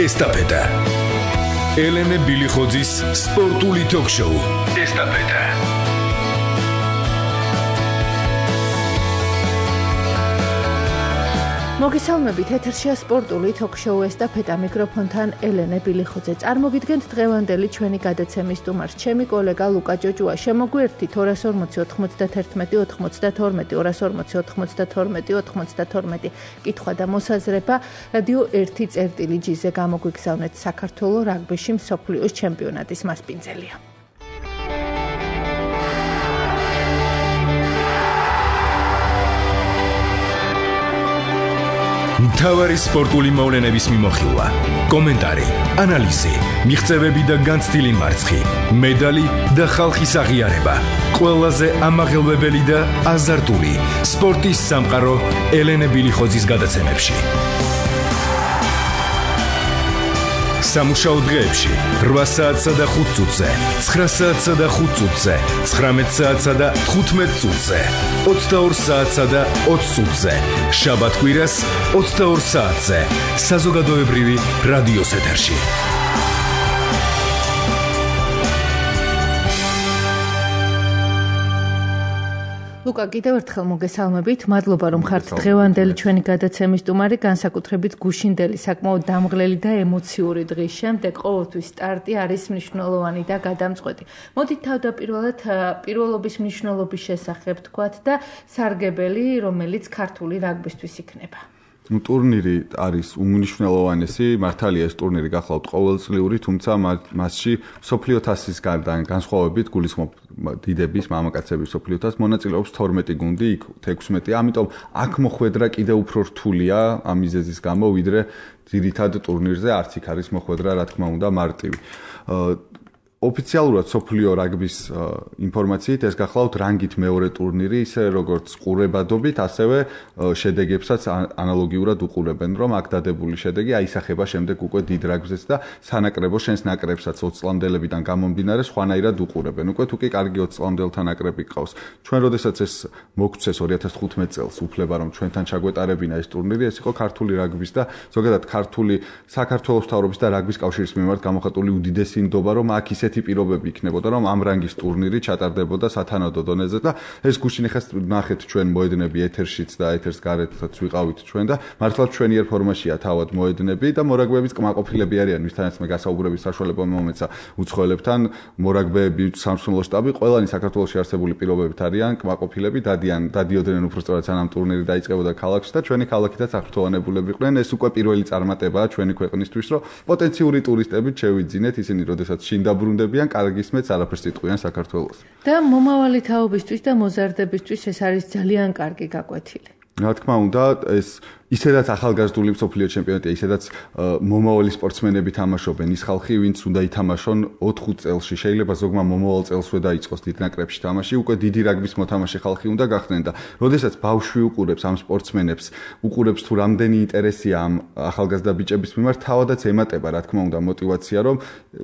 ესტაფეტა. ელენე ბილიხოძის სპორტული ток-შოუ. ესტაფეტა. მოგესალმებით, ეთერშია სპორტული ток-შოუ ესტაფეტა, მიკროფონთან ელენე ბილიხოძე. წარმოგიდგენთ დღევანდელი ჩვენი გადაცემის სტუმარს, ჩემი კოლეგა ლუკა ჭოჭუა. შემოგვიერთით 240 91 92 240 92 კითხვა და მოსაზრება რადიო 1.ზე გამოგვიგზავნეთ საქართველოს რაგბიში მსოფლიოს ჩემპიონატის მასპინძელია. მთავარი სპორტული მოვლენების მიმოხილვა, კომენტარი, ანალიზი, მიღწევები და განცდილი მარცხი, მედალი და ხალხის აღიარება. ყველაზე ამაღელვებელი და აზარტული სპორტის სამყარო ელენე ბილიხოძის გადაცემებში. სამუშაო დღეებში 8 საათსა და 5 წუთზე, 9 საათსა და 5 წუთზე, 19 საათსა და 15 წუთზე, 22 საათსა და 20 წუთზე, შაბათ-კვირას 22 საათზე, საზოგადოებრივი რადიოს ეთერში. ლუკა, კიდევ ერთხელ მოგესალმებით. მადლობა, რომ ხართ დღევანდელი ჩვენი გადაცემის სტუმარი, განსაკუთრებით გუშინდელი, საკმაოდ დამღლელი და ემოციური დღის შემდეგ. ყოველთვის სტარტი არის მნიშვნელოვანი და გადამწყვეტი. მოდით თავდაპირველად პირველობის მნიშვნელობის შესახებ თქვათ და სარგებელი, რომელიც ქართული რაგბისთვის იქნება. ტურნირი არის უმნიშვნელოვანესი, მართალია ეს ტურნირი გახლავთ ყოველწლიური, თუმცა მასში მსოფლიო თასის გარდა განსხვავებით გულისხმობ დიდების, მამაკაცების მსოფლიო თასს მონაწილეობს 12 გუნდი, იქ 16-ია, ამიტომ აქ მოხვედრა კიდევ უფრო რთულია ამ მიზეზის გამო, ვიდრე ძირითად ტურნირზე არც იქ არის მოხვედრა, რა თქმა უნდა, მარტივი. ოფიციალურად მსოფლიო რაგბის ინფორმაციით ეს გახლავთ რანგით მეორე ტურნირი, ისე როგორც ყურებადობით, ასევე შედეგებსაც ანალოგიურად უყურებენ, რომ აქ დადებული შედეგი აისახება შემდეგ უკვე დიდ რაგბზეც და სანაკრებო შენს ნაკრებსაც 20 წლამდელებიდან გამომდინარე სხვანაირად უყურებენ. უკვე თუ კი კარგი 20 წლამდელთა ნაკრები გყავს. ჩვენ როდესაც ეს მოგცეს 2015 წელს უფლება, რომ ჩვენთან ჩაგვეტარებინა ეს ტურნირი, ეს იყო ქართული რაგბის და ზოგადად ქართული საქართველოს მთავრობის და რაგბის კავშირის მიმართ გამოხატული უდიდესი ნდობა, რომ აქ ისეთი პირობები იქნებოდა, რომ ამ რანგის ტურნირი ჩატარდებოდა სათანადო დონეზე და ეს გუშინ ხეს ნახეთ ჩვენ მოედნები ეთერშიც და ეთერს გარეთაც ვიყავით ჩვენ და მართლაც ჩვენიერ ფორმაშია თავად მოედნები და მორაგბეების კმაყოფილები არიან, ვისთანაც მე გასაუბრების საშუალება მომეცა უცხოელებთან, მორაგბეები, სამსხმელო შტაბი, ყველანი საქართველოში არსებული პირობებით არიან კმაყოფილები, დადიოდნენ უბრალოდ სანამ ტურნირი დაიწყებოდა ქალაქში და ჩვენი ქალაქითაც აღფრთოვანებულები იყვნენ. ეს უკვე პირველი წარმატებაა ჩვენი ქვეყნისთვის, რომ პოტენციური ტურისტები შევიძინეთ, ისინი როდესაც შინ დაბრუნდებიან, კარგი სმეც არაფერს იტყვიან საქართველოს. და მომავალი თაობისთვის და მოზარდებისთვის ეს არის ძალიან კარგი გაკვეთილი. რა თქმა უნდა, ეს ისედაც ახალგაზრდული მსოფლიო ჩემპიონატია, ისედაც მომავალი სპორტსმენები თამაშობენ, ის ხალხი, ვინც უნდა ითამაშონ 4-5 წელში, შეიძლება ზოგმა მომავალ წელსვე დაიწყოს დიდ ნაკრებში თამაში, უკვე დიდი რაგბის მოთამაშე ხალხი უნდა გახდნენ და როდესაც ბავშვი უყურებს ამ სპორტსმენებს, უყურებს თუ რამდენი ინტერესია ამ ახალგაზრდა ბიჭების მიმართ, თავადაც ემატება, რა თქმა უნდა, мотиваცია, რომ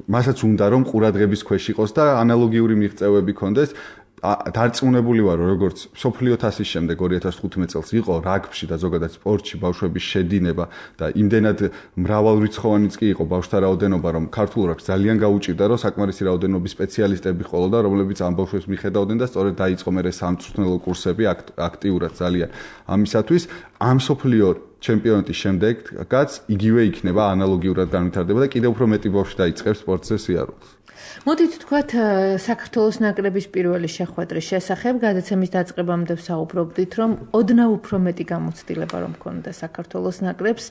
მასაც უნდა რომ ყურადღების ქვეშ იყოს და ანალოგიური მიღწევები ქონდეს. დარწმუნებული ვარ, როგორც მსოფლიო თასის შემდეგ 2015 წელს იყო რაგბში და ზოგადად სპორტში ბავშვების შედინება და იმდენად მრავალრიცხოვანიც კი იყო ბავშვთა რაოდენობა, რომ ქართულ რაგბს ძალიან გაუჭირდა, რომ საკმარისი რაოდენობის სპეციალისტები ყოლოდა, რომლებიც ამ ბავშვებს მიხედავდნენ და სწორედ დაიწყო მერე სამწვრთნელო კურსები აქტიურად ძალიან. ამისათვის ამ მსოფლიო ჩემპიონატის შემდეგაც იგივე იქნება, ანალოგიურად განვითარდება და კიდევ უფრო მეტი ბავშვი დაიწყებს სპორტზე სიარულს. მოდით თქვათ საქართველოს ნაკრების პირველი შეხვედრის შესახებ გადაცემის დაწყებამდე ვსაუბრობდით, რომ ოდნავ უფრო მეტი გამოცდილება რომ ქონდა საქართველოს ნაკრებს,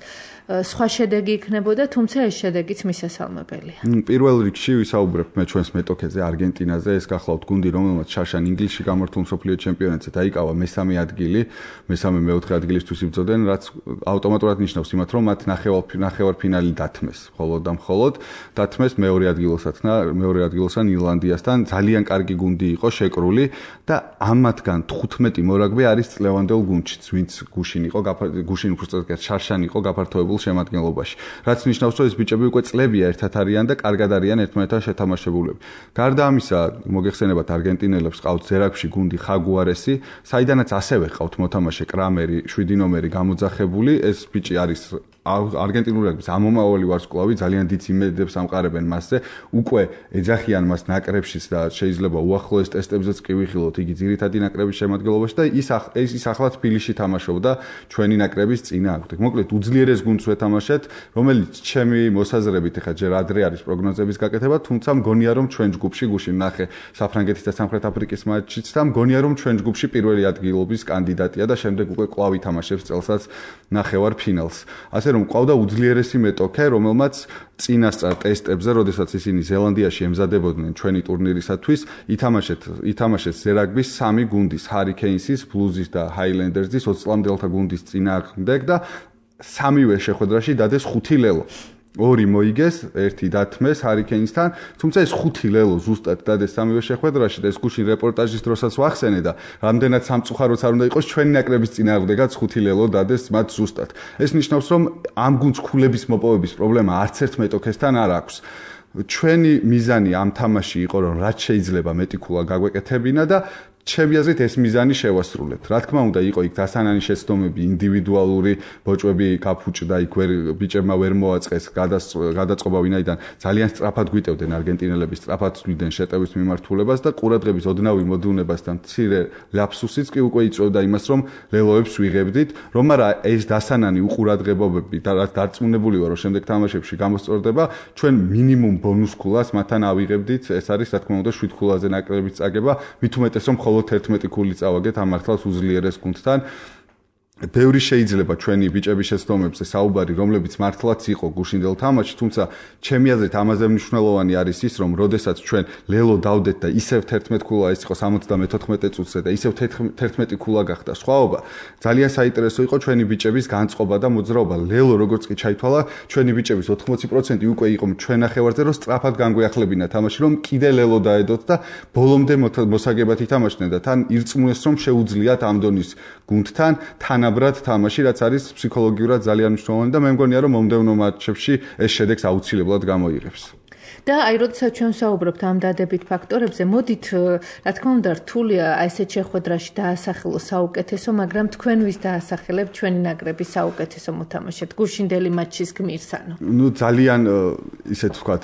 სხვა შედეგი იქნებოდა, თუმცა ეს შედეგიც მისასალმებელია. პირველ რიგში ვისაუბრებ მე ჩვენს მეტოქეზე, არგენტინაზე, ეს გახლავთ გუნდი, რომელმაც შარშან ინგლისში გამართულ მსოფლიო ჩემპიონატზე დაიკავა მესამე ადგილი, მესამე-მეოთხე ადგილისთვის იბრძოდნენ, რაც ავტომატურად ნიშნავს იმათ, რომ მათ ნახევარფინალი დათმეს, მხოლოდ და მხოლოდ დათმეს მეორე ადგილოსან ირლანდიასთან. ძალიან კარგი გუნდი იყო შეკრული და ამათგან 15 მორაგბე არის წლევანდელ გუნდშიც, ვინც გუშინ უბრალოდ შარშან იყო გაფართოებულ შემადგენლობაში. რაც ნიშნავს, რომ ეს ბიჭები უკვე წლებია ერთად არიან და კარგად არიან ერთმანეთთან შეთამაშებულები. გარდა ამისა, მოგეხსენებათ არგენტინელებს ყავთ ზერაგში გუნდი ხაგუარესი, საიდანაც ასევე ყავთ მოთამაშე კრამერი, 7 ნომერი გამოძახებული. ეს ბიჭი არის არგენტინული რაგბის ამომავალი ვარსკვლავი ძალიან დიდ იმედებს ამყარებენ მასზე. უკვე ეძახიან მას ნაკრებშიც და შეიძლება უახლოეს ტესტებზეც კი ვიხილოთ იგი ძირითადი ნაკრების შემადგენლობაში და ის ახლა თბილისში თამაშობდა ჩვენი ნაკრების წინააღმდეგ. მოკლედ უძლიერეს გუნდს ვეთამაშეთ, რომელიც ჩემი მოსაზრებით ეხლა ჯერ ადრე არის პროგნოზების გაკეთება, თუმცა მგონია რომ ჩვენ ჯგუფში გუშინ ნახე საფრანგეთის და სამხრეთ აფრიკის მატჩიც და მგონია რომ ჩვენ ჯგუფში პირველი ადგილობის კანდიდატია და შემდეგ უკვე კვლავ ითამაშებს წელსაც ნახევარ ფინალს. ასე რომ ყავდა უძლიერესი მეტოქე, რომელმაც წინასწარ ტესტებზე, როდესაც ისინი ზელანდიაში ემზადებოდნენ ჩვენი ტურნირისათვის, ითამაშეს ზერაგბის 3 გუნდის, ჰარიკეინსის, ბლუზის და ჰაილენდერსის 20 წლამდელთა გუნდის წინააღმდეგ და 3-ვე შეხვედრაში დადეს 5 ლელო. 2 მოიგეს, 1 დათმეს ჰარიკეინსთან, თუმცა ეს 5 ლელო ზუსტად დადეს 3-ვე შეხვედრაში და ეს გუშინ რეპორტაჟის დროსაც ვახსენე და რამდენად სამწუხაროც არ უნდა იყოს ჩვენი ნაკრების წინააღმდეგაც 5 ლელო დადეს მათ ზუსტად. ეს ნიშნავს რომ ამ გუნდს ქულების მოპოვების პრობლემა არც ერთ მეტოქესთან არ აქვს. ჩვენი მიზანი ამ თამაში იყო რომ რაც შეიძლება მეტი ქულა გაგვეკეთებინა და ჩემი აზრით ეს მიზანი შევასრულებთ. რა თქმა უნდა, იყო იქ დასანანი შეცდომები, ინდივიდუალური ბოჭვები გაფუჭდა, იქ ბიჭებმა ვერ მოაწყეს გადაწყობა, ვინაიდან ძალიან სწრაფად გვიტევდნენ არგენტინელები, სწრაფად ცვლიდნენ შეტევის მიმართულებას და ყურადღების ოდნავი მოდუნებასთან მცირე ლაფსუსიც კი უკვე იწვევდა იმას, რომ ლელოებს ვიღებდით, რომ არა ეს დასანანი უყურადღებობები და რაც დარწმუნებული ვარ, რომ შემდეგ თამაშებში გამოსწორდება, ჩვენ მინიმუმ ბონუს ქულას მათთან ავიღებდით. ეს არის რა თქმა უნდა 7 ქულაზე ნაკრების წაგება, მით უმეტეს რომ 11 ქული წავაგეთ ამ მართლაც უძლიერეს გუნდთან. ბევრი შეიძლება ჩვენი ბიჭების შეცდომებზე საუბარი, რომლებიც მართლაც იყო გუშინდელ თამაშში, თუმცა ჩემი აზრით ამაზე მნიშვნელოვანი არის ის, რომ როდესაც ჩვენ ლელო დავდეთ და ისევ 11 ქულა ეს იყო 74 წუთზე და ისევ 11 ქულა გახდა სხვაობა, ძალიან საინტერესო იყო ჩვენი ბიჭების განწყობა და მოძრაობა. ლელო როგორც კი ჩაითვალა, ჩვენი ბიჭების 80% უკვე იყო ჩვენ ნახევარზე, რომ სწრაფად განგვიახლებინა თამაში, რომ კიდე ლელო დაედოთ და ბოლომდე მოსაგებად ითამაშდნენ და თან ირწმუნეს, რომ შეუძლიათ ამ დონის გუნდთან თანაბრად თამაში, რაც არის ფსიქოლოგიურად ძალიან მნიშვნელოვანი და მე მგონია რომ მომდევნო მატჩებში ეს შედეგს აუცილებლად გამოიღებს. და აი როდესაც ჩვენ საუბრობთ ამ დადებით ფაქტორებზე, მოდით რა თქმა უნდა რთულია ესეთ შეხვედრაში დაასახელოს საუკეთესო, მაგრამ თქვენ ვის დაასახელებთ ჩვენი ნაკრების საუკეთესო მოთამაშედ გუშინდელი მატჩის გმირს ანუ? ძალიან ისეთ ვთქვათ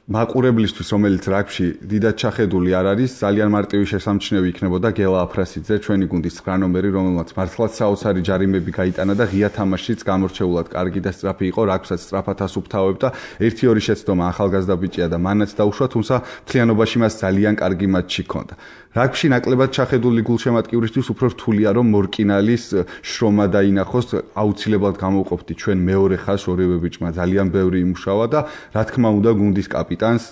მაყურებლისთვის, რომელიც რაგბში დიდად ჩახედული არ არის, ძალიან მარტივი შესამჩნევი იქნებოდა გელა აფრასიძე, ჩვენი გუნდის 9 ნომერი, რომელმაც მართლაც საოცარი ჯარიმები გაიტანა და ღია თამაშიც გამორჩეულად კარგი და სწრაფი იყო, რაგბსაც სწრაფად ასუფთავებდა. 1-2 შეცდომა ახალგაზრდა ბიჭია და მანაც დაუშვა, თუმცა მთლიანობაში მას ძალიან კარგი მატჩი ჰქონდა. რაგბში ნაკლებად ჩახედული გულშემატკივრისთვის უფრო რთულია, რომ მორკინალის შრომა დაინახოს, აუცილებლად გამოვყოფდი ჩვენ მეორე ხაზს ორივე ბიჭმა ძალიან ბევრი იმუშავა და რა თქმა უნდა გუნდის კაპიტანს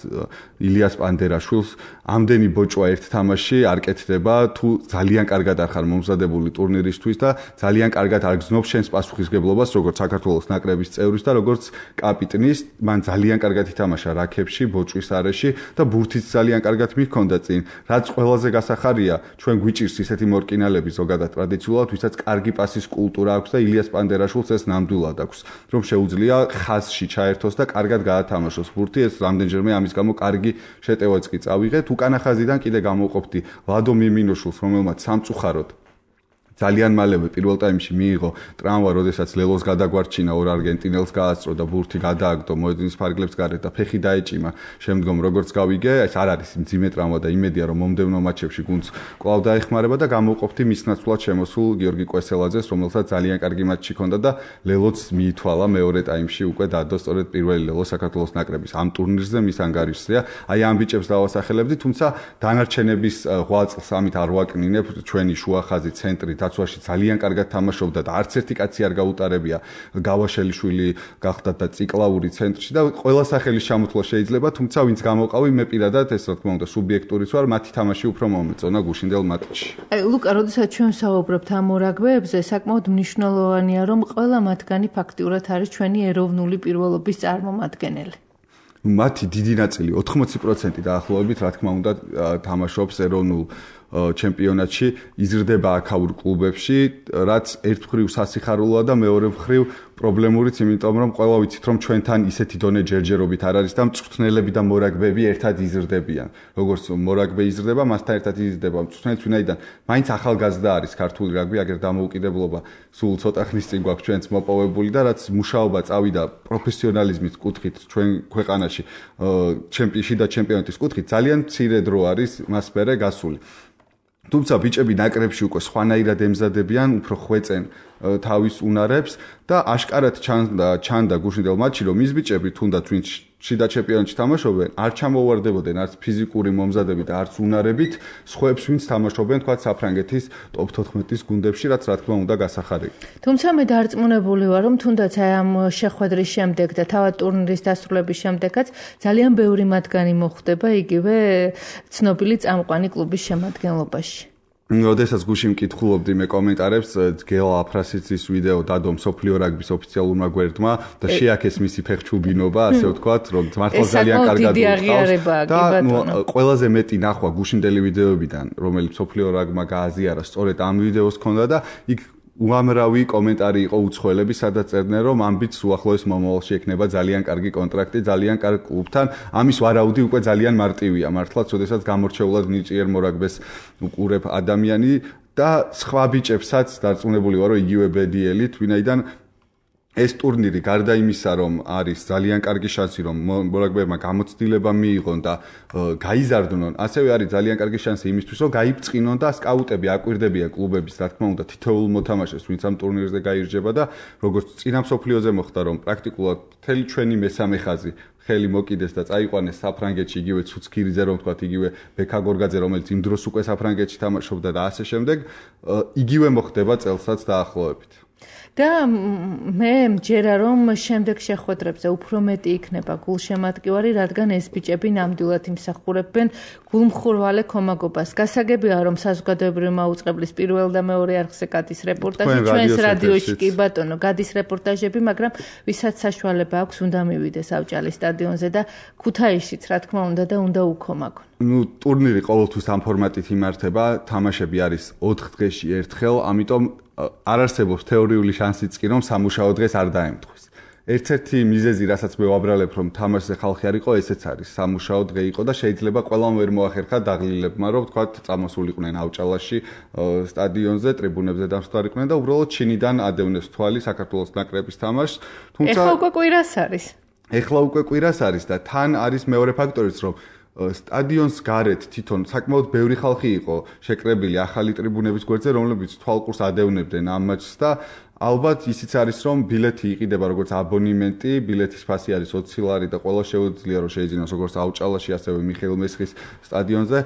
ილიას პანდერაშვილს ამდენი ბოჭვა ერთ თამაში არ კეთდება, თუ ძალიან კარგად არ ხარ მომზადებული ტურნირისთვის და ძალიან კარგად არ გზნობ შენს პასუხისგებლობას, როგორც საქართველოს ნაკრების წევრის და როგორც კაპიტნის, მან ძალიან კარგად ითამაშა რაქებში, ბოჭვის არეში და ბურთიც ძალიან კარგად მიჰქონდა წინ, რაც ყველაზე გასახარია, ჩვენ გვიჭირს ისეთი მორკინალები ზოგადად ტრადიციულად, ვისაც კარგი პასის კულტურა აქვს და ილიას პანდერაშვილს ეს ნამდვილად აქვს, რომ შეუძლია ხაზში ჩაერთოს და კარგად გაათამაშოს ბურთი, ეს რამდენჯერმე ამის გამო კარგი შეტევაც კი წავიღეთ. უკანა ხაზიდან კიდე გამოვყოფდი ლადო მიმინოშულს, რომელმაც სამწუხაროდ ძალიან მალევე პირველ ტაიმში მიიღო ტრავმა, როდესაც ლელოს გადაგვარჩინა ორ არგენტინელს გაასწრო და ბურთი გადააგდო მოედნის ფარგლებს გარეთ და ფეხი დაეჭიმა. შემდგომ როგორც გავიგე, ეს არ არის მძიმე ტრავმა და იმედია რომ მომდევნო მატჩებში გუნდს კვლავ დაეხმარება და გამოვყოფდი მის ნაცვლად შემოსულ გიორგი კვესელაძეს, რომელსაც ძალიან კარგი მატჩი ჰქონდა და ლელოც მიითვალა მეორე ტაიმში უკვე დადო სწორედ პირველი ლელო საქართველოს ნაკრების ამ ტურნირზე მის ანგარიშზეა. აი ამ ბიჭებს დავასახელებდი, თუმცა დანარჩენების ღვაწლს ამით არ ვაკნინებ, ჩვენი შუა ხაზი ცენტრი დაცვაში ძალიან კარგად თამაშობდა და არც ერთი კაცი არ გაუტარებია. გავაშელიშვილი გახდა და ციკლაური ცენტრში და ყველა სახელის ჩამოთვლა შეიძლება, თუმცა ვინც გამოყავი, მე პირადად ეს რა თქმა უნდა სუბიექტურიც ვარ, მათი თამაში უფრო მომეწონა გუშინდელ მატჩში. აი ლუკა, როდესაც ჩვენ საუბრობთ ამ რაგბეებზე, საკმაოდ მნიშვნელოვანია, რომ ყველა მათგანი ფაქტიურად არის ჩვენი ეროვნული პირველობის წარმომადგენელი. მათი დიდი ნაწილი 80% დაახლოებით რა თქმა უნდა თამაშობს ეროვნულ ჩემპიონატში, იზრდება აქაურ კლუბებში, რაც ერთ მხრივ სასიხარულოა და მეორე მხრივ პრობლემურიც, იმიტომ რომ ყველა ვიცით რომ ჩვენთან ისეთი დონე ჯერჯერობით არ არის და მწვრთნელები და მორაგბეები ერთად იზრდებიან. როგორც მორაგბე იზრდება, მასთან ერთად იზრდება მწვრთნელიც, ვინაიდან მაინც ახალგაზრდა არის ქართული რაგბი, აგერ დამოუკიდებლობა სულ ცოტა ხნის წინ გვაქვს ჩვენც მოპოვებული და რაც მუშაობა წავიდა პროფესიონალიზმის კუთხით ჩვენ ქვეყანაში, ჩემპიონში და ჩემპიონატის კუთხით ძალიან მცირე დრო არის მას მერე გასული. თუმცა ბიჭები ნაკრებში უკვე სხვანაირად ემზადებიან, უფრო ხვეწენ თავის უნარებს და აშკარად ჩანდა გუშინდელ მატჩში, რომ ის ბიჭები თუნდაც ვინც შიდა ჩემპიონატში თამაშობენ, არ ჩამოვარდებოდნენ არც ფიზიკური მომზადებით, არც უნარებით, სხვებს ვინც თამაშობენ თქვა საფრანგეთის ტოპ 14-ის გუნდებში, რაც რა თქმა უნდა გასახარია. თუმცა მე დარწმუნებული ვარ, რომ თუნდაც აი ამ შეხვედრის შემდეგ და თავად ტურნირის დასრულების შემდეგაც ძალიან ბევრი მათგანი მოხვდება იგივე ცნობილი წამყვანი კლუბის შემადგენლობაში. როდესაც გუშინ მკითხულობდი მე კომენტარებს, გელა აფრასიცის ვიდეო დადო მსოფლიო რაგბის ოფიციალურმა გვერდმა და შეაქეს მისი ფეხჩუბინობა, ასე ვთქვათ, რომ მართლა ძალიან კარგად უყავს და ყველაზე მეტი ნახვა გუშინდელი ვიდეოებიდან, რომელიც მსოფლიო რაგბმა გააზიარა, სწორედ ამ ვიდეოს ჰქონდა და იქ უამრავი კომენტარი იყო უცხოელები, სადაც წერდნენ, რომ ამბიც უახლოეს მომავალში ექნება ძალიან კარგი კონტრაქტი, ძალიან კარგ კლუბთან. ამის ვარაუდი უკვე ძალიან მარტივია, მართლაც, როდესაც გამორჩეულად ნიჭიერ მორაგბეს უყურებ ადამიანი და სხვა ბიჭებსაც დარწმუნებული ვარ, რომ იგივე ბედიელით, ვინაიდან ეს ტურნირი გარდა იმისა, რომ არის ძალიან კარგი შანსი, რომ მორაგბეებმა გამოცდილება მიიღონ და გაიზარდნონ, ასევე არის ძალიან კარგი შანსი იმისთვის, რომ გაიბწყინონ და სკაუტები აკვირდებიან კლუბების, რა თქმა უნდა, თითოეულ მოთამაშეს, ვინც ამ ტურნირზე გაირჯება და როგორც წინა მსოფლიოზე მოხდა, რომ პრაქტიკულად მთელი ჩვენი მესამე ხაზი ხელი მოკიდეს და წაიყვანეს საფრანგეთში, იგივე ცუცქირიძე, რომ ვთქვათ, იგივე ბექა გორგაძე, რომელიც იმ დროს უკვე საფრანგეთში თამაშობდა და ასე შემდეგ, იგივე მოხდება წელსაც დაახლოებით. და მე მჯერა რომ შემდეგ შეხვედრებზე უფრო მეტი იქნება გულშემატკივარი, რადგან ეს ბიჭები ნამდვილად იმსახურებენ გულმხურვალე კომაგობას. გასაგებია რომ საზოგადოებრივი მაუწყებლის პირველ და მეორე არხზე გადის რეპორტაჟი, ჩვენს რადიოში კი ბატონო გადის რეპორტაჟები, მაგრამ ვისაც საშუალება აქვს უნდა მივიდეს ავჭალის სტადიონზე და ქუთაისშიც რა თქმა უნდა და უნდა უქომაგონ. ტურნირი ყოველთვის ამ ფორმატით იმართება, თამაშები არის 4 დღეში ერთხელ, ამიტომ არ არსებობს თეორიული შანსიც კი რომ სამუშაო დღეს არ დაემთხვის. ერთ-ერთი მიზეზი, რასაც მე ვაბრალებ, რომ თამაშზე ხალხი არ იყო, ესეც არის. სამუშაო დღე იყო და შეიძლება ყველამ ვერ მოახერხა დაღლილებმა, რომ თქვათ, წამოსულიყვნენ ავჭალაში სტადიონზე, ტრიბუნებზე დამსხვარიყვნენ და უბრალოდ ჩინიდან ადევნეს თვალი საქართველოს ნაკრების თამაშს. თუმცა ეხლა უკვე კვირას არის. ეხლა უკვე კვირას არის და თან არის მეორე ფაქტორიც, რომ სტადიონს გარეთ თვითონ საკმაოდ ბევრი ხალხი იყო შეკრებილი ახალი ტრიბუნების გვერდზე, რომლებიც თვალყურს ადევნებდნენ ამ მატჩს და ალბათ ისიც არის, რომ ბილეთი იყიდება როგორც აბონემენტი, ბილეთის ფასი არის 20 ლარი და ყველა შეუძლია რომ შეიძინოს როგორც ავჭალაში, ასევე მიხეილ მესხის სტადიონზე.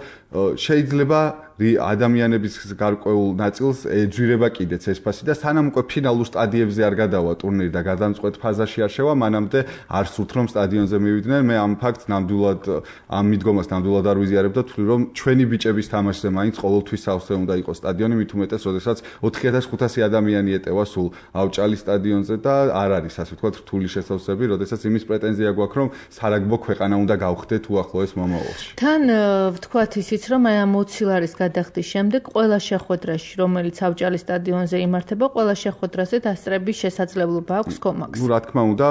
შეიძლება ადამიანების გარკვეულ ნაწილს ეძვირება კიდეც ეს ფასი და სანამ უკვე ფინალურ სტადიებზე არ გადავა ტურნირი და გადამწყვეტ ფაზაში არ შევა, მანამდე არ სურთ რომ სტადიონზე მივიდნენ. მე ამ ფაქტს ნამდვილად ამ მიდგომას ნამდვილად არ ვიზიარებ და თვლი რომ ჩვენი ბიჭების თამაშზე მაინც ყოველთვის სავსე უნდა იყოს სტადიონი, მით უმეტეს, როდესაც 4500 ადამიანი ეტევა სულ ავჭალის სტადიონზე და არ არის ასე ვთქვათ რთული შესავსები, როდესაც იმის პრეტენზია გვაქვს, რომ სარაგბო ქვეყანა უნდა გავხდეთ უახლოეს მომავალში. თან ვთქვათ ისიც, რომ აი ამ 20 ლარის გადახდის შემდეგ ყველა შეხვედრაში, რომელიც ავჭალის სტადიონზე იმართება, ყველა შეხვედრაზე დასწრების შესაძლებლობა აქვს კომაგს. რა თქმა უნდა,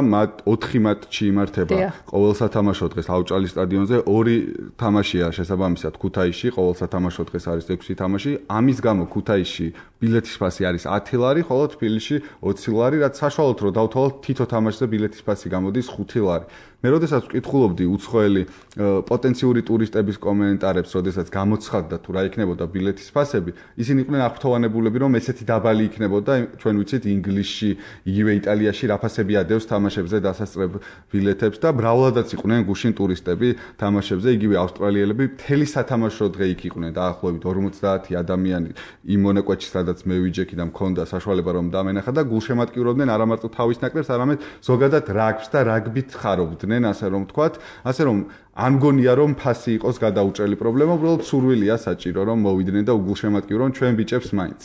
4 მატჩი იმართება ყოველ სათამაშო დღეს ავჭალის სტადიონზე, 2 თამაშია შესაბამისად ქუთაისში, ყოველ სათამაშო დღეს არის 6 თამაში. ამის გამო ქუთაისში ბილეთის ფასი არის 10 ლარი, ხოლო თბილისში 20 ლარი, რაც საშუალოდ რომ დავთვალოთ თითო თამაშზე ბილეთის ფასი გამოდის 5 ლარი. მე როდესაც ვკითხულობდი უცხოელი პოტენციური ტურისტების კომენტარებს, როდესაც გამოცხადდა თუ რა იქნებოდა ბილეთის ფასები, ისინი იყვნენ აღფრთოვანებულები, რომ ესეთი დაბალი იქნებოდა, ჩვენ ვიცით ინგლისში, იგივე იტალიაში რა ფასები ადევს თამაშებზე დასასწრებ ბილეთებს და მრავლადაც იყვნენ გუშინ ტურისტები თამაშებზე, იგივე ავსტრალიელები მთელი სათამაშო დღე იქ იყვნენ, დაახლოებით 50 ადამიანი იმ მონაკვეთში, სადაც მე ვიჯექი და მქონდა საშუალება რომ დამენახა და გულშემატკივრობდნენ არა მარტო თავის ნაკრებს, არამედ ზოგადად რაგბს და რაგბით ხარობდნენ, ასე რომ ვთქვათ, ასე რომ არ მგონია რომ ფასი იყოს გადაუჭრელი პრობლემა, უბრალოდ სურვილია საჭირო რომ მოვიდნენ და უგულშემატკივრონ ჩვენ ბიჭებს მაინც.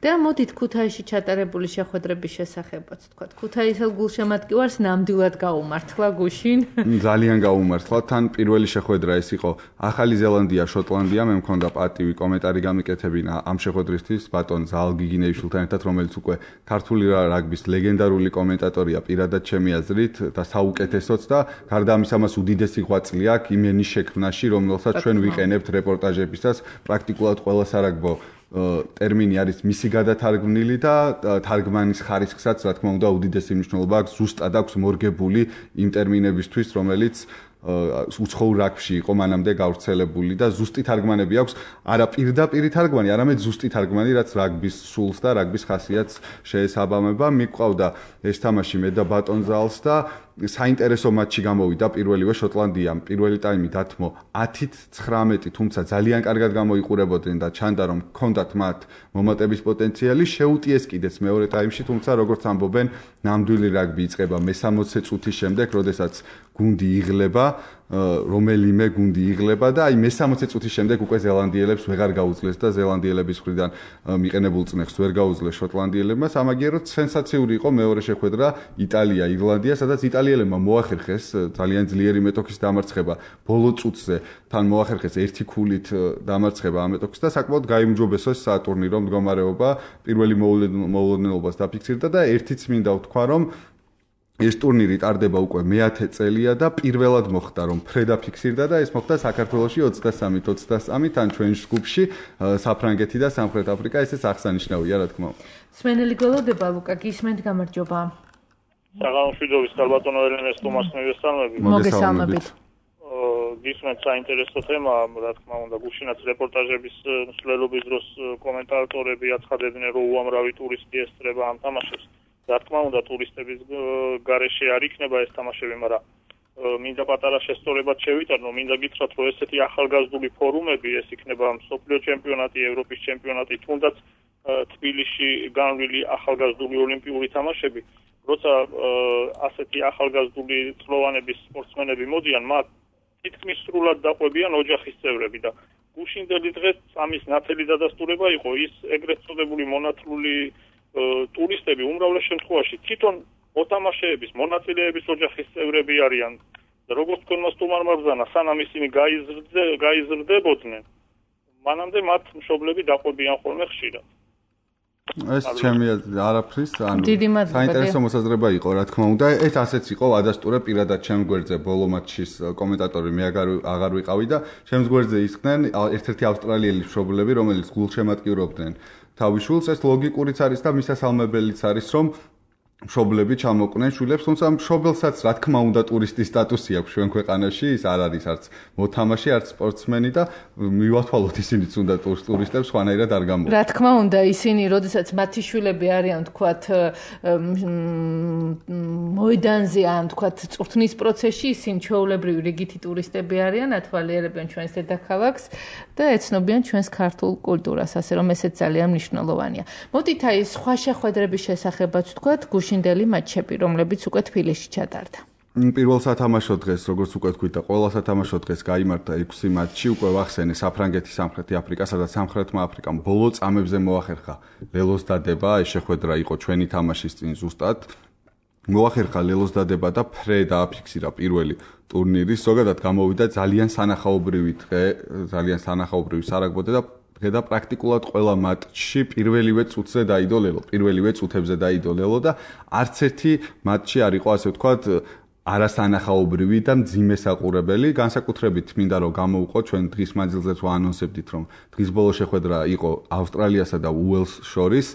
და მოდით ქუთაისში ჩატარებული შეხვედრების შესახებაც თქვა. ქუთაისელ გულშემატკივარს ნამდვილად გაუმართლა გუშინ. ძალიან გაუმართლა. თან პირველი შეხვედრა ეს იყო ახალი ზელანდია, შოტლანდია. მე მქონდა პატივი კომენტარი გამიკეთებინა ამ შეხვედრისთვის ბატონ ზალ გიგინეიშვილთან ერთად, რომელიც უკვე ქართული რაგბის ლეგენდარული კომენტატორია პირადად ჩემი აზრით და საუკეთესოც და გარდა ამისა მას უდიდესი ღვაწლი აქვს იმენის შექმნაში, რომელსაც ჩვენ ვიყენებთ რეპორტაჟებისას. პრაქტიკულად ყველა სარაგბო ტერმინი არის მისი გადათარგმნილი და თარგმანის ხარისხსაც, რა თქმა უნდა, უდიდესი მნიშვნელობა აქვს. ზუსტად აქვს მორგებული იმ ტერმინებისთვის, რომელიც უცხოურ რაგბში იყო მანამდე გავრცელებული და ზუსტი თარგმანები აქვს, არა პირდაპირი თარგმანი, არამედ ზუსტი თარგმანი, რაც რაგბის სულს და რაგბის ხასიათს შეესაბამება. მიყვავდა ეს თამაში მე და ბატონ ზალს და საინტერესო მატჩი გამოვიდა პირველივე შოტლანდიამ. პირველი ტაიმი დათმო 10-19, თუმცა ძალიან კარგად გამოიყურებოდნენ და ჩანდა რომ ჰქონდათ მათ მომატების პოტენციალი. შეუტიეს კიდეც მეორე ტაიმში, თუმცა როგორც ამბობენ, ნამდვილი რაგბი იწყება მე-60 წუთის შემდეგ, როდესაც გუნდი იღლება, რომელიმე გუნდი იღლება და აი მე-60 წუთის შემდეგ უკვე ზელანდიელებს ვეღარ გაუძლეს და ზელანდიელების მხრიდან მიყენებულ წნეხს ვერ გაუძლეს შოტლანდიელებმა. სამაგიეროდ სენსაციური იყო მეორე შეხვედრა იტალია, ირლანდია, სადაც იტალიელებმა მოახერხეს ძალიან ძლიერი მეტოქის დამარცხება ბოლო წუთზე, თან მოახერხეს ერთი ქულით დამარცხება ამ მეტოქის და საკმაოდ გაიმჯობესეს სატურნირო მდგომარეობა, პირველი მოულოდნელობას დაფიქსირდა და ერთიც მინდა ვთქვა, რომ ეს ტურნირი ტარდება უკვე მე-10 წელია და პირველად მოხდა რომ ფრედა ფიქსირდა და ეს მოხდა საქართველოში 23-23 თან ჩვენს ჯგუფში საფრანგეთი და სამხრეთ აფრიკა, ესეც აღსანიშნავია რა თქმა უნდა. სვენელი გველოდება ლუკა, გისმენთ, გამარჯობა. საღამოშვიდობის ქალბატონო ელენეს თომას მოგესალმებით. მოგესალმებით. გისმენთ, საინტერესო თემა, რა თქმა უნდა, გუშინაც რეპორტაჟების მსვლელობის დროს კომენტატორები აცხადებდნენ, რომ უამრავი ტურისტი ესწრება ამ თამაშებს. რა თქმა უნდა, ტურისტების გარეშე არ იქნება ეს თამაშები, მაგრამ მინდა პატარა შესწორებად შევიტანო, მინდა გითხრათ, რომ ესეთი ახალგაზრდული ფორუმები, ეს იქნება მსოფლიო ჩემპიონატი, ევროპის ჩემპიონატი, თუნდაც თბილისში განვლილი ახალგაზრდული ოლიმპიური თამაშები, როცა ასეთი ახალგაზრდული წლოვანების სპორტსმენები მოდიან, მათ თითქმის სრულად დაყვებიან ოჯახის წევრები და გუშინდელი დღეს ამის ნათელი დადასტურება იყო ის ეგრეთ წოდებული მონათლული ტურისტები უმრავლეს შემთხვევაში თვითონ მოთამაშეების, მონაწილეების ოჯახის წევრები არიან. და როგორც თქვენმა სტუმარმა ბრძანა, სანამ ისინი გაიზრდებოდნენ, მანამდე მათ მშობლები დაყვებიან ხოლმე ხშირად. ეს ჩემი არაფრის, ანუ საინტერესო მოსაზრება იყო, რა თქმა უნდა. ეს ასეც იყო, ადასტურე პირადად ჩემს გვერდზე ბოლო მატჩის კომენტატორი მე აღარ ვიყავი და ჩემს გვერდზე ისხდნენ ერთ-ერთი ავსტრალიელი მშობლები, რომელიც გულშემატკივრობდნენ თავის შვილს. ეს ლოგიკურიც არის და მისასალმებელიც არის, რომ მშობლები ჩამოყვნენ შვილებს, თუმცა მშობელსაც რა თქმა უნდა ტურისტის სტატუსი აქვს ჩვენ ქვეყანაში, ის არ არის არც მოთამაშე, არც სპორტსმენი და მივათვალოთ ისინიც უნდა ტურისტებს სხვანაირად არ გამოვა. რა თქმა უნდა, ისინი, როდესაც მათი შვილები არიან, თქვათ, მოედანზე ან თქვათ, წვრთნის პროცესში, ისინი ჩვეულებრივი რიგითი ტურისტები არიან, ათვალიერებენ ჩვენს დედაქალაქს და ეცნობიან ჩვენს ქართულ კულტურას, ასე რომ ესეც ძალიან მნიშვნელოვანია. მოდით აი სხვა შეხვედრების შესახებაც თქვათ, გუშინდელი მატჩები, რომლებიც უკვე თბილისში ჩატარდა. პირველ სათამაშო დღეს, როგორც უკვე თქვით და ყველა სათამაშო დღეს გაიმართა 6 მატჩი, უკვე ვახსენე საფრანგეთი, სამხრეთი აფრიკა, სადაც სამხრეთმა აფრიკამ ბოლო წამებზე მოახერხა ლელოს დადება, ეს შეხვედრა იყო ჩვენი თამაშის წინ ზუსტად. მოახერხა ლელოს დადება და ფრე დააფიქსირა პირველი ტურნირი, ზოგადად გამოვიდა ძალიან სანახაობრივი დღე, ძალიან სანახაობრივი სარაგბო და პრაქტიკულად ყველა მატჩში პირველივე წუთზე დაიდო ლელო, პირველივე წუთებზე დაიდო ლელო და არც ერთი მატჩი არ იყო, ასე ვთქვათ, არასანახაობრივი და მძიმე საყურებელი. განსაკუთრებით მინდა რომ გამოვყო ჩვენ დღის მანძილზეც ვაანონსებდით, რომ დღის ბოლო შეხვედრა იყო ავსტრალიასა და უელს შორის.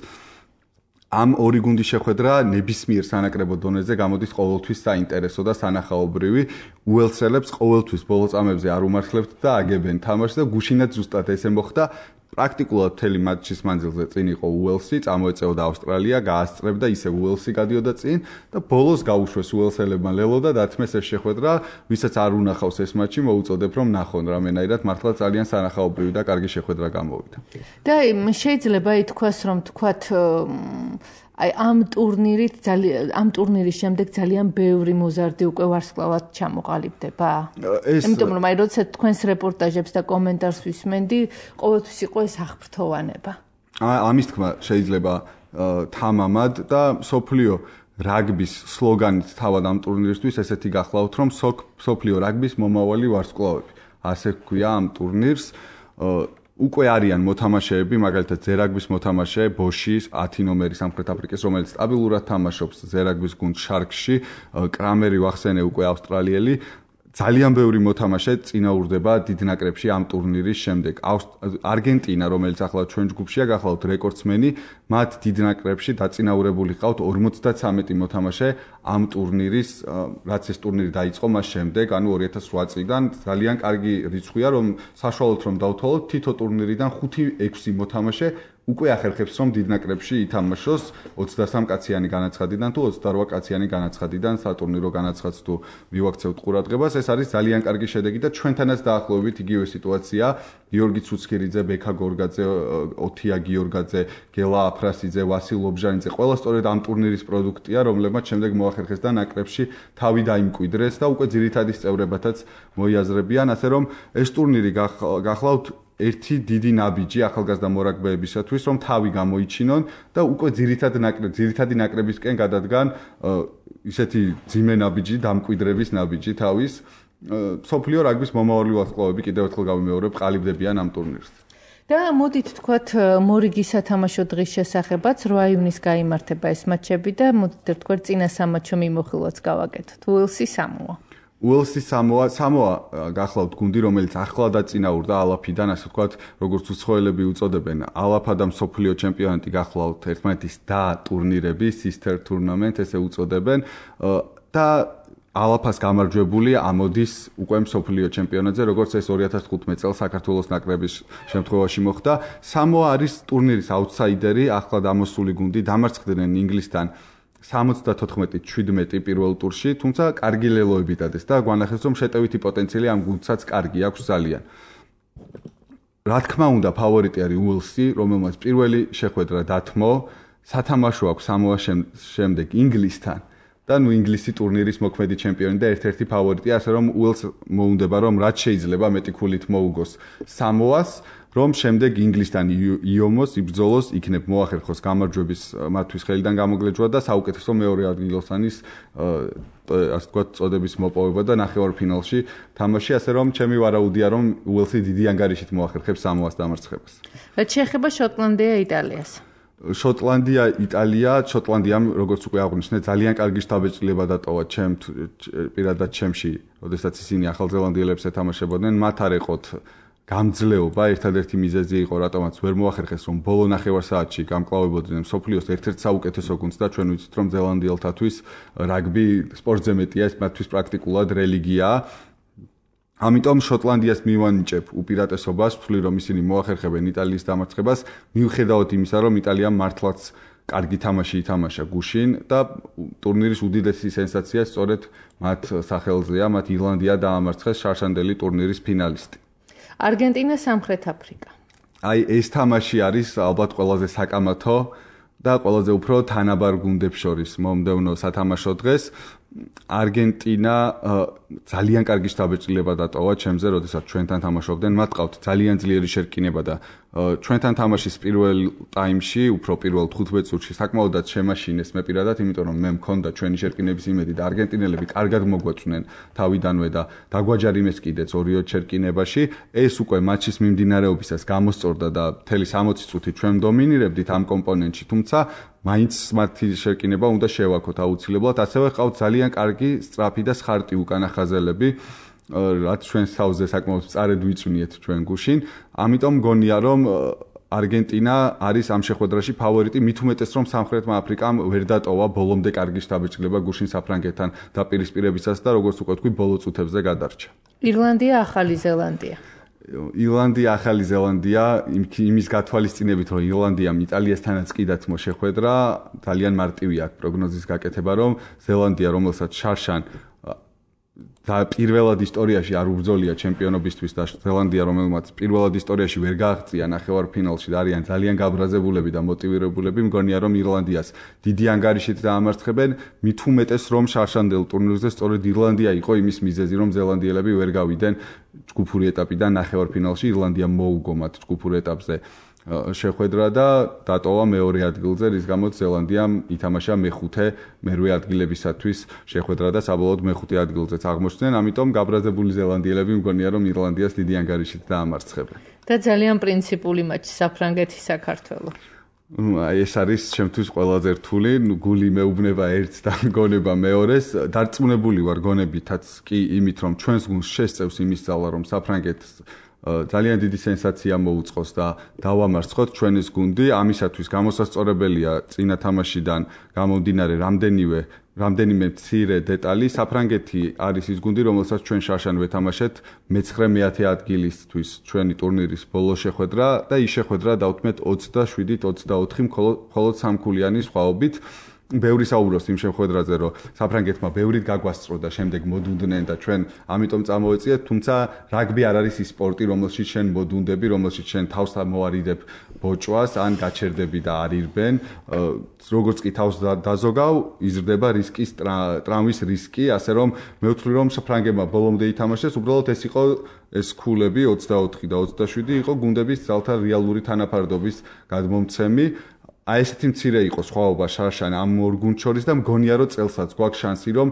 ამ ორი გუნდის შეხვედრა ნებისმიერ სანაკრებო დონეზე გამოდის ყოველთვის საინტერესო და სანახაობრივი. უელსელებს ყოველთვის ბოლო წამებზე არ უმართლებთ და აგებენ თამაშს და გუშინაც ზუსტად ესე მოხდა. პრაქტიკულად მთელი მატჩის მანძილზე წინ იყო უელსი, წამოეწეოდა ავსტრალია, გაასწრებდა, ისე უელსი გადიოდა წინ და ბოლოს გაუშვეს უელსელებმა ლელო და დათმეს ეს შეხვედრა, ვისაც არ უნახავს ეს მატჩი, მოუწოდებ რომ ნახონ რამენაირად, მართლა ძალიან სანახაობრივი და კარგი შეხვედრა გამოვიდა. და შეიძლება ითქვას, რომ თქვათ აი ამ ტურნირის შემდეგ ძალიან ბევრი მოზარდი უკვე ვარსკვლავად ჩამოყალიბდება. იმიტომ რომ აი როცა თქვენს რეპორტაჟებს და კომენტარს ვისმენდი, ყოველთვის იყო ეს აღფრთოვანება. ამის თქმა შეიძლება თამამად და სოფლიო რაგბის სლოგანით თავად ამ ტურნირისთვის ესეთი გახლავთ, რომ სოფლიო რაგბის მომავალი ვარსკვლავები. ასე ქვია ამ ტურნირს. უკვე არიან მოთამაშეები, მაგალითად ზერაგბის მოთამაშე ბოში 10 ნომერი სამხრეთ აფრიკის, რომელიც სტაბილურად თამაშობს ზერაგბის გუნდ შარკში, კრამერი ვახსენე უკვე ავსტრალიელი. ძალიან ბევრი მოთამაშე წინაურდება დიდ ნაკრებში ამ ტურნირის შემდეგ. არგენტინა, რომელიც ახლა ჩვენ ჯგუფშია, გახლავთ რეკორდსმენი, მათ დიდ ნაკრებში დაწინაურებული ყავთ 53 მოთამაშე ამ ტურნირის, რაც ეს ტურნირი დაიწყო მას შემდეგ, ანუ 2008 წლიდან. ძალიან კარგი რიცხვია, რომ საშუალოდ რომ დავთვალოთ, თითო ტურნირიდან 5-6 მოთამაშე უკვე ახერხებს რომ დიდ ნაკრებში ითამაშოს 23 კაციანი განაცხადიდან თუ 28 კაციანი განაცხადიდან სატურნირო განაცხადს თუ მივაქცევთ ყურადღებას, ეს არის ძალიან კარგი შედეგი და ჩვენთანაც დაახლოებით იგივე სიტუაცია. გიორგი ცუცქირიძე, ბექა გორგაძე, ოთია გიორგაძე, გელა აფრასიძე, ვასილ ობჟანიძე, ყველა სწორედ ამ ტურნირის პროდუქტია, რომლებმაც შემდეგ მოახერხეს და ნაკრებში თავი დაიმკვიდრეს და უკვე ძირითადი წევრებათაც მოიაზრებიან, ასე რომ ეს ტურნირი გახლავთ ერთი დიდი ნაბიჯი ახალგაზრდა მორაგბეებისათვის, რომ თავი გამოიჩინონ და უკვე ძირითადი ნაკრებისკენ გადადგან ისეთი ძიმე ნაბიჯი, დამკვიდრების ნაბიჯი თავის. სოფლიო რაგბის მომავალი ვარსკვლავები კიდევ ერთხელ გავიმეორებ, ყალიბდებიან ამ ტურნირს. და მოდით თქვათ მორიგი სათამაშო დღის შესახებაც 8 ივნისს გაიმართება ეს მატჩები და მოდით თქვათ წინა სამატჩო მიმოხილვაც გავაკეთოთ. უელსი სამოა. უელსი სამოა გახლავთ გუნდი, რომელიც ახლა დაწინაურდა ალაფიდან, ასე ვთქვათ, როგორც უცხოელები უწოდებენ, ალაფა და მსოფლიო ჩემპიონატი გახლავთ ერთმანეთის და ტურნირები, sister tournament ესე უწოდებენ და ალაფას გამარჯვებული ამოდის უკვე მსოფლიო ჩემპიონატზე, როგორც ეს 2015 წელს საქართველოს ნაკრების შემთხვევაში მოხდა. სამოა არის ტურნირის აუთსაიდერი, ახლა დამოსული გუნდი, დამარცხდნენ ინგლისთან 74-17 პირველ ტურში, თუმცა კარგი ლელოები დადეს და გვანახეს, რომ შეტევითი პოტენციალი ამ გუნდსაც კარგი აქვს ძალიან. რა თქმა უნდა, ფავორიტი არის უელსი, რომელმაც პირველი შეხვედრა დათმო, სათამაშო აქვს სამოას შემდეგ ინგლისთან. და ინგლისი ტურნირის მოქმედი ჩემპიონი და ერთ-ერთი ფავორიტია, ასე რომ უელს მოუნდება, რომ რაც შეიძლება მეტი ქულით მოუგოს სამოას, რომ შემდეგ ინგლისთან იომოს იბრძოლოს, იქნებ მოახერხოს გამარჯვების მათთვის ხელიდან გამოგლეჯვა და საუკეთესო მეორე ადგილოსანის ასე ვთქვათ წოდების მოპოვება და ნახევარფინალში თამაში, ასე რომ ჩემი ვარაუდია, რომ უელსი დიდი ანგარიშით მოახერხებს სამოას დამარცხებას. რაც შეეხება შოტლანდია იტალიას. შოტლანდია იტალია, შოტლანდიამ როგორც უკვე აღვნიშნე, ძალიან კარგი შთაბეჭდილება დატოვა პირადად ჩემში, როდესაც ისინი ახალზელანდიელებს ეთამაშებოდნენ, მათ არ ეყოთ გამძლეობა, ერთადერთი მიზეზი იყო, რატომაც ვერ მოახერხეს, რომ ბოლო ნახევარ საათში გამკლავებოდნენ მსოფლიოს ერთ-ერთ საუკეთესო გუნდს და ჩვენ ვიცით, რომ ზელანდიელთათვის რაგბი სპორტზე მეტია, ეს მათთვის პრაქტიკულად რელიგიაა. ამიტომ შოტლანდიას მივანიჭებ უპირატესობას, ვთვლი, რომ ისინი მოახერხებენ იტალიის დამარცხებას, მიუხედავად იმისა, რომ იტალიამ მართლაც კარგი თამაში ითამაშა გუშინ და ტურნირის უდიდესი სენსაცია სწორედ მათ სახელზეა, მათ ირლანდია დაამარცხეს შარშანდელი ტურნირის ფინალისტი. არგენტინა, სამხრეთ აფრიკა. აი ეს თამაში არის ალბათ ყველაზე საკამათო და ყველაზე უფრო თანაბარ გუნდებს შორის მომდევნო სათამაშო დღეს. არგენტინა ძალიან კარგი შთაბეჭდილება დატოვა ჩემზე, როდესაც ჩვენთან თამაშობდნენ, მათ ყავთ ძალიან ძლიერი შერკინება და ჩვენთან თამაშის პირველ ტაიმში, უფრო პირველ 15 წუთში საკმაოდაც შემაშინეს მე პირადად, იმიტომ რომ მე მქონდა ჩვენი შერკინების იმედი და არგენტინელები კარგად მოგვაწვნენ თავიდანვე და დაგვაჯარიმეს კიდეც 2 შერკინებაში. ეს უკვე მატჩის მიმდინარეობისას გამოსწორდა და მთელი 60 წუთი ჩვენ დომინირებდით ამ კომპონენტში, თუმცა მაინც მათი შერკინება უნდა შევაქოთ აუცილებლად, ასევე ყავთ ძალიან კარგი სწრაფი და სხარტი უკანახაზელები, რაც ჩვენ თავზე საკმაოდ სწარედ ვიწვნიეთ ჩვენ გუშინ. ამიტომ მგონია, რომ არგენტინა არის ამ შეხვედრაში ფავორიტი, მით უმეტეს რომ სამხრეთმა აფრიკამ ვერ დატოვა ბოლომდე კარგი შთაბეჭდილება გუშინ საფრანგეთთან დაპირისპირებისას და როგორც უკვე თქვი, ბოლო წუთებზე გადარჩა. ირლანდია, ახალი ზელანდია. ირლანდია, ახალი ზელანდია, იმის გათვალისწინებით, რომ ირლანდიამ იტალიასთანაც კი დათმო შეხვედრა, ძალიან მარტივი აქვს პროგნოზის გაკეთება, რომ ზელანდია, რომელსაც შარშან და პირველად ისტორიაში არ უბრძოლია ჩემპიონობისთვის და ზელანდია, რომელმაც პირველად ისტორიაში ვერ გააღწია ნახევარფინალში და არიან ძალიან გაბრაზებულები და მოტივირებულები, მგონია რომ ირლანდიას დიდი ანგარიშით დაამარცხებენ, მით უმეტეს რომ შარშანდელ ტურნირზე სწორედ ირლანდია იყო იმის მიზეზი, რომ ზელანდიელები ვერ გავიდნენ ჯგუფური ეტაპიდან ნახევარფინალში, ირლანდია მოუგო მათ ჯგუფურ ეტაპზე შეხვედრა და დატოვა მეორე ადგილზე, რის გამოც ზელანდიამ ითამაშა მერვე ადგილებისათვის შეხვედრა და საბოლოოდ მეხუთე ადგილზეც აღმოჩნდნენ, ამიტომ გაბრაზებული ზელანდიელები მგონია რომ ირლანდიას დიდი ანგარიშით დაამარცხებენ. და ძალიან პრინციპული მატჩი საფრანგეთი-საქართველო. ეს არის ჩემთვის ყველაზე რთული, გული მეუბნება ერთს და გონება მეორეს. დარწმუნებული ვარ გონებითაც კი იმით, რომ ჩვენს გუნდს შესწევს იმის ძალა, რომ საფრანგეთს ძალიან დიდი სენსაცია მოუწყოს და დავამარცხოთ ჩვენის გუნდი. ამისათვის გამოსასწორებელია წინა თამაშიდან გამომდინარე რამდენიმე მცირე დეტალი. საფრანგეთი არის ის გუნდი, რომელსაც ჩვენ შარშან ვეთამაშეთ მე-9 ადგილისთვის ჩვენი ტურნირის ბოლო შეხვედრა და ის შეხვედრა დავთმეთ 27-24 მხოლოდ სამქულიანი სხვაობით. ბევრი საუბრობს იმ შეხვედრაზე, რომ საფრანგეთმა ბევრით გაგვასწრო და შემდეგ მოდუნდნენ და ჩვენ ამიტომ წამოვეწიეთ, თუმცა რაგბი არ არის ის სპორტი, რომელშიც შენ მოდუნდები, რომელშიც შენ თავს მოარიდებ ბოჭვას, ან გაჩერდები და არ ირბენ. როგორც კი თავს დაზოგავ, იზრდება რისკის ტრავმის რისკი, ასე რომ მე ვთვლი, რომ საფრანგებმა ბოლომდე ითამაშეს, უბრალოდ ეს იყო ეს ქულები 24 და 27 იყო გუნდების ძალთა რეალური თანაფარდობის გადმომცემი. აი ესეთი მცირე იყო სხვაობა შარშან ამ ორ გუნდს შორის და მგონია რომ წელსაც გვაქვს შანსი რომ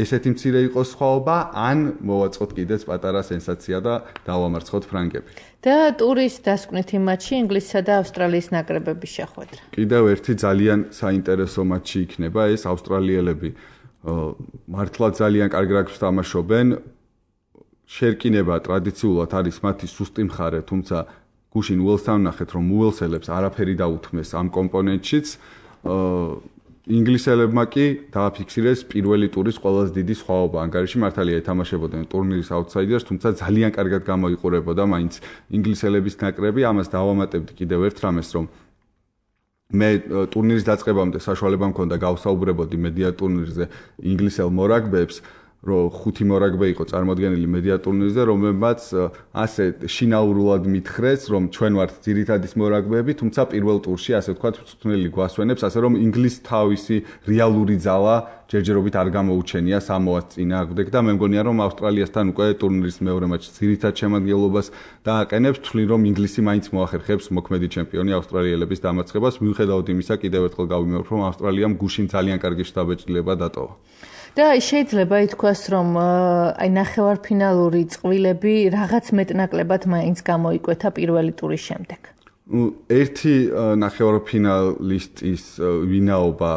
ესეთი მცირე იყოს სხვაობა ან მოვაწყოთ კიდეც პატარა სენსაცია და დავამარცხოთ ფრანგები. და ტურის დასკვნითი მატჩი ინგლისსა და ავსტრალიის ნაკრებების შეხვედრა. კიდევ ერთი ძალიან საინტერესო მატჩი იქნება ეს ავსტრალიელები მართლა ძალიან კარგ რაგბის თამაშობენ. შერკინება ტრადიციულად არის მათი სუსტი მხარე, თუმცა გუშინ უელსთან ვნახეთ, რომ უელსელებს არაფერი დაუთმეს ამ კომპონენტშიც. ინგლისელებმა კი დააფიქსირეს პირველი ტურის ყველაზე დიდი სხვაობა. ანგარიში მართალია ეთამაშებოდნენ ტურნირის აუტსაიდერს, თუმცა ძალიან კარგად გამოიყურებოდა მაინც ინგლისელების ნაკრები. ამას დავამატებდი კიდევ ერთ რამეს, რომ მე ტურნირის დაწყებამდე საშუალება მქონდა გავსაუბრებოდი მედია ტურნირზე ინგლისელ მორაგბეებს, რომ 5 მორაგბე იყო წარმოადგენილი მედია ტურნირზე, რომელმაც ასე შინაურულად მითხრეს, რომ ჩვენ ვართ ძირითადის მორაგბეები, თუმცა პირველ ტურში ასე ვთქვათ, მწვრთნელი გვასვენებს, ასე რომ ინგლისს თავისი რეალური ძალა ჯერჯერობით არ გამოუჩენია სამოას წინააღმდეგ და მე მგონია, რომ ავსტრალიასთან უკვე ტურნირის მეორე მატჩში ძირითად შემადგენლობას დააყენებს, თვლი რომ ინგლისი მაინც მოახერხებს მოქმედი ჩემპიონი ავსტრალიელების დამარცხებას, მიუხედავად იმისა, კიდევ ერთხელ გავიმეორებ, რომ ავსტრალიამ გუშინ ძალიან კარგი შთაბეჭდილება დატოვა. და შეიძლება ითქვას, რომ აი ნახევარფინალური წყვილები რაღაც მეტნაკლებად მაინც გამოიკვეთა პირველი ტურის შემდეგ. ერთი ნახევარფინალისტის ვინაობა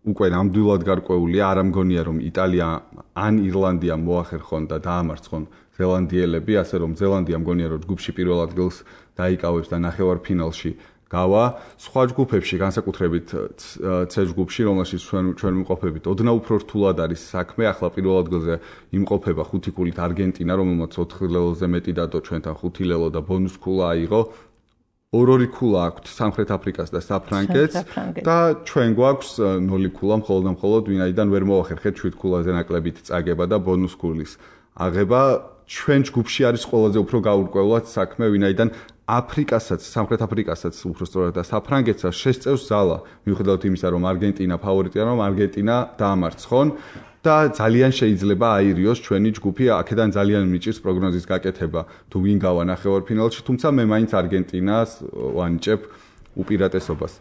უკვე ნამდვილად გარკვეულია, არ ამგონია რომ იტალია ან ირლანდია მოახერხონ და დაამარცხონ ზელანდიელები, ასე რომ ზელანდია მგონია რომ ჯგუფში პირველ ადგილს დაიკავებს და ნახევარფინალში გავა. სხვა ჯგუფებში, განსაკუთრებით C ჯგუფში, რომელშიც ჩვენ ვიმყოფებით, ოდნავ უფრო რთულად არის საქმე. ახლა პირველ ადგილზე იმყოფება 5 ქულით არგენტინა, რომელმაც 4 ლელოზე მეტი დადო ჩვენთან 5 ლელო და ბონუს ქულა აიღო. 2 ქულა აქვთ სამხრეთ აფრიკას და საფრანგეთს და ჩვენ გვაქვს 0 ქულა მხოლოდ ვინაიდან ვერ მოახერხეთ 7 ქულაზე ნაკლებით წაგება და ბონუს ქულის აღება. ჩვენ ჯგუფში არის ყველაზე უფრო გაურკვევლად საქმე, ვინაიდან აფრიკასაც, სამხრეთ აფრიკასაც უბრალოდ და საფრანგეთსაც შესწევს ზალა, მიუხედავად იმისა, რომ არგენტინა ფავორიტია, რომ არგენტინა დაამარცხონ და ძალიან შეიძლება აირიოს ჩვენი ჯგუფი, აქედან ძალიან მიჭირს პროგნოზის გაკეთება, თუ ვინ გავა ნახევარფინალში, თუმცა მე მაინც არგენტინას ვანიჭებ უპირატესობას.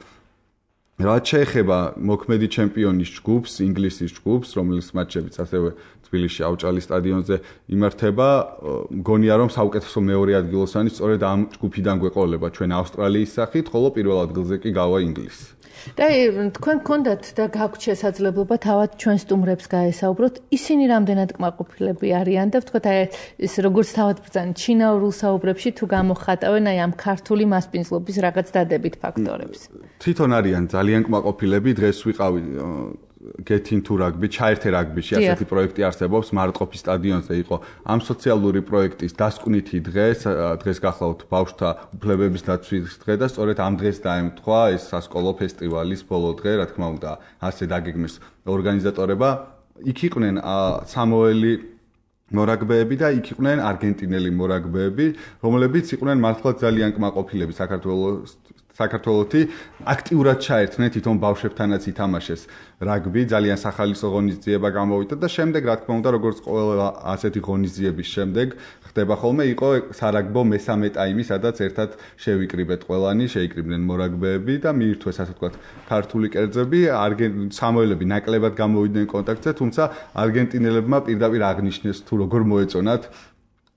რაც შეეხება მოქმედი ჩემპიონის ჯგუფს, ინგლისის ჯგუფს, რომელიც მატჩებიც ასევე თბილისში ავჭალის სტადიონზე იმართება, მგონია რომ საუკეთესო მეორე ადგილოსანი სწორედ ამ ჯგუფიდან გვეყოლება ჩვენ ავსტრალიის სახით, ხოლო პირველ ადგილზე კი გავა ინგლისი. და თქვენ გქონდათ და გაქვთ შესაძლებლობა თავად ჩვენ სტუმრებს გაესაუბროთ, ისინი რამდენად კმაყოფილები არიან და ვთქვათ აი ეს როგორც თავად ბრძანეთ ჩინაურულ საუბრებში თუ გამოხატავენ აი ამ ქართული მასპინძლობის რაღაც დადებით ფაქტორებს. თვითონ არიან ძალიან კმაყოფილები, დღეს ვიყავი Get into rugby, ჩაერთე რაგბიში, ასეთი პროექტი არსებობს, მარტყოფის სტადიონზე იყო ამ სოციალური პროექტის დასკვნითი დღეს გახლავთ ბავშვთა უფლებების დაცვის დღე და სწორედ ამ დღეს დაემთხვა ეს სასკოლო ფესტივალის ბოლო დღე, რა თქმა უნდა, ასე დაგეგმეს ორგანიზატორება. იქ იყვნენ სამოელი მორაგბეები და იქ იყვნენ არგენტინელი მორაგბეები, რომლებიც იყვნენ მართლა ძალიან კმაყოფილები საქართველოს საქართველოსი აქტიურად ჩაერთნენ თვითონ ბავშვებთანაც ითამაშეს რაგბი, ძალიან სახალისო ღონისძიება გამოვიდა და შემდეგ რა თქმა უნდა როგორც ყველა ასეთი ღონისძიების შემდეგ ხდება ხოლმე იყო სარაგბო მესამე ტაიმი, სადაც ერთად შევიკრიბეთ ყველანი, შეიკრიბნენ მორაგბეები და მიირთვეს ასე ვთქვათ ქართული კერძები, სამოელები ნაკლებად გამოვიდნენ კონტაქტზე, თუმცა არგენტინელებმა პირდაპირ აღნიშნეს თუ როგორ მოეწონათ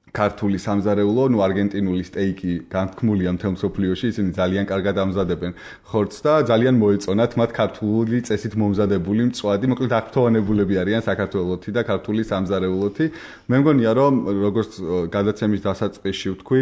ქართული სამზარეულო, არგენტინული სტეიკი განთქმულია მთელ მსოფლიოში, ისინი ძალიან კარგად ამზადებენ ხორცს და ძალიან მოეწონათ მათ ქართული წესით მომზადებული მწვადი, მოკლედ აღფრთოვანებულები არიან საქართველოსი და ქართული სამზარეულოთი. მე მგონია რომ როგორც გადაცემის დასაწყისში ვთქვი,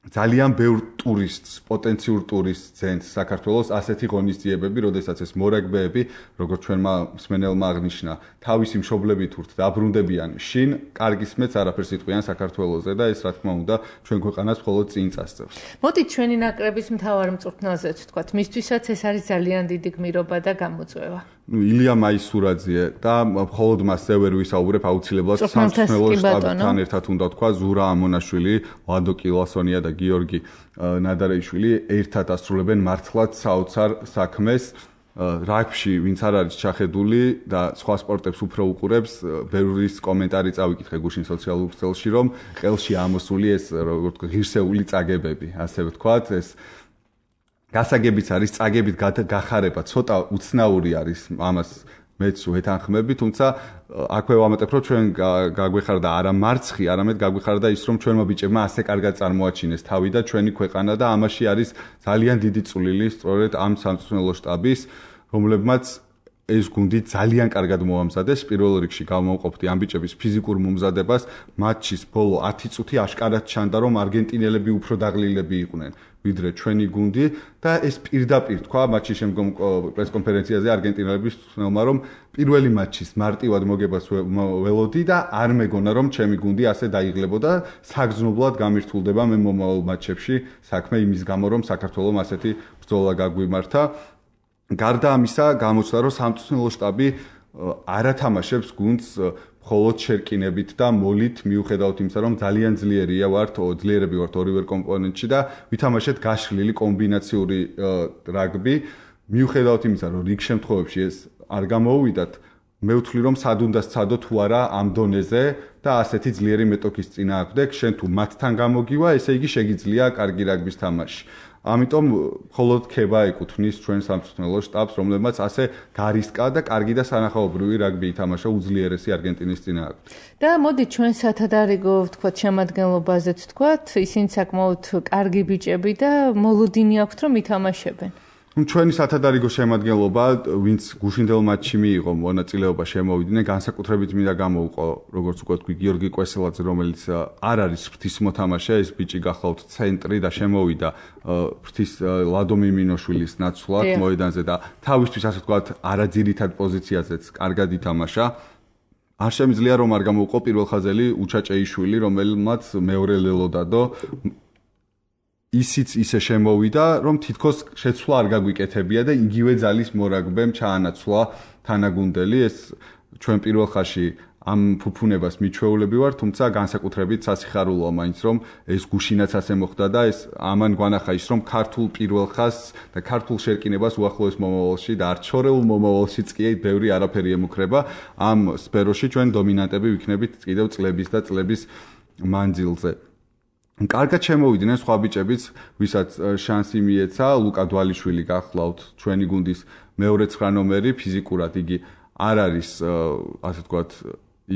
ძალიან ბევრ ტურისტს, პოტენციურ ტურისტს ძენს საქართველოს ასეთი ღონისძიებები, როდესაც ეს მორაგბეები, როგორც ჩვენმა მსმენელმა აღნიშნა, თავისი მშობლებით ურთ დაბრუნდებიან შინ, კარგი სმეც არაფერს იტყვიან საქართველოზე და ეს რა თქმა უნდა ჩვენ ქვეყანას მხოლოდ წინ წასწევს. მოდით ჩვენი ნაკრების მთავარ მწვრთნელზეც ვთქვათ, მისთვისაც ეს არის ძალიან დიდი გმირობა და გამოწვევა. ილია მაისურაძე და მხოლოდ მასზე ვერ ვისაუბრებ, აუცილებლად სამწვრთნელო შტაბთან ერთად უნდა თქვა ზურა ამონაშვილი, ლადო კილასონია და გიორგი ნადარეიშვილი ერთად ასრულებენ მართლაც საოცარ საქმეს რაგბში, ვინც არ არის ჩახედული და სხვა სპორტებს უფრო უყურებს, ბევრის კომენტარი წავიკითხე გუშინ სოციალურ ქსელში, რომ ყელში ამოსული ეს როგორც ღირსეული წაგებები, ასე ვთქვათ, ეს გასაგებიც არის წაგებით გახარება, ცოტა უცნაური არის ამას მეც ვეთანხმები, თუმცა აქვე ვამატებ, რომ ჩვენ გაგვეხარდა არა მარცხი, არამედ გაგვეხარდა ის, რომ ჩვენმა ბიჭებმა ასე კარგად წარმოაჩინეს თავი და ჩვენი ქვეყანა და ამაში არის ძალიან დიდი წვლილი სწორედ ამ სამწვრთნელო შტაბის, რომლებმაც ეს გუნდი ძალიან კარგად მოამზადეს. პირველ რიგში გამოვყოფდი ამ ბიჭების ფიზიკურ მომზადებას, მატჩის ბოლო 10 წუთი აშკარად ჩანდა, რომ არგენტინელები უფრო დაღლილები იყვნენ ვიდრე ჩვენი გუნდი და ეს პირდაპირ თქვა მატჩის შემდგომ პრესკონფერენციაზე არგენტინელების თქმულმა, რომ პირველი მატჩის მარტივად მოგებას ველოდი და არ მეგონა რომ ჩემი გუნდი ასე დაიღლებოდა, საგრძნობლად გამირთულდება მე მომავალ მატჩებში საქმე იმის გამო, რომ საქართველოს ასეთი ბრძოლა გაგვიმართა. გარდა ამისა, გამოჩნდა, რომ სამწვრთნელო შტაბი არ ათამაშებს გუნდს მხოლოდ შერკინებით და მოლით, მიუხედავად იმისა, რომ ძალიან ძლიერები ვართ ორივე კომპონენტში და ვითამაშეთ გაშლილი კომბინაციური რაგბი, მიუხედავად იმისა, რომ რიგ შემთხვევებში ეს არ გამოუვიდათ, მე ვთვლი, რომ სად უნდა სცადო თუ არა ამ დონეზე და ასეთი ძლიერი მეტოქის წინააღმდეგ, შენ თუ მათთან გამოგივა, ესე იგი შეგიძლია კარგი რაგბის თამაში. ამიტომ მხოლოდ ქება ეკუთვნის ჩვენ სამწვრთნელო შტაბს, რომლებმაც ასე გარისკა და კარგი და სანახაობრივი რაგბი ითამაშა უძლიერესი არგენტინის წინააღმდეგ. და მოდით ჩვენ სათადარიგო ვთქვათ შემადგენლობაზეც ვთქვათ, ისინი საკმაოდ კარგი ბიჭები და მოლოდინი აქვთ რომ ითამაშებენ. ჩვენი სათადარიგო შემადგენლობა, ვინც გუშინდელ მატჩში მიიღო მონაწილეობა, შემოვიდნენ, განსაკუთრებით მინდა გამოვყო, როგორც უკვე თქვი, გიორგი კვესელაძე, რომელიც არ არის ფრთის მოთამაშე, ეს ბიჭი გახლავთ ცენტრი და შემოვიდა ფრთის ლადო მიმინოშვილის ნაცვლად მოედანზე და თავისთვის ასე ვთქვათ, არაძირითად პოზიციაზეც კარგად ითამაშა. არ შემიძლია რომ არ გამოვყო პირველხაზელი უჩაჭეიშვილი, რომელმაც მეორე ლელოდადო ისიც ისე შემოვიდა, რომ თითქოს შეცვლა არ გაგვიკეთებია და იგივე ძალის მორაგბემ ჩაანაცვლა თანაგუნდელი. ეს ჩვენ პირველ ხაზში ამ ფუფუნებას მიჩვეულები ვარ, თუმცა განსაკუთრებით სასიხარულოა მაინც, რომ ეს გუშინაც ასე მოხდა და ეს ამან გვანახა ის, რომ ქართულ პირველ ხაზს და ქართულ შერკინებას უახლოეს მომავალში და არჩორეულ მომავალშიც კი ბევრი არაფერი ემუქრება. ამ სფეროში ჩვენ დომინანტები ვიქნებით კიდევ წლების და წლების მანძილზე. კარგად შემოვიდნენ სხვა ბიჭებიც, ვისაც შანსი მიეცა, ლუკა დვალიშვილი გახლავთ ჩვენი გუნდის მეორე 9 ნომერი, ფიზიკურად იგი არ არის ასე ვთქვათ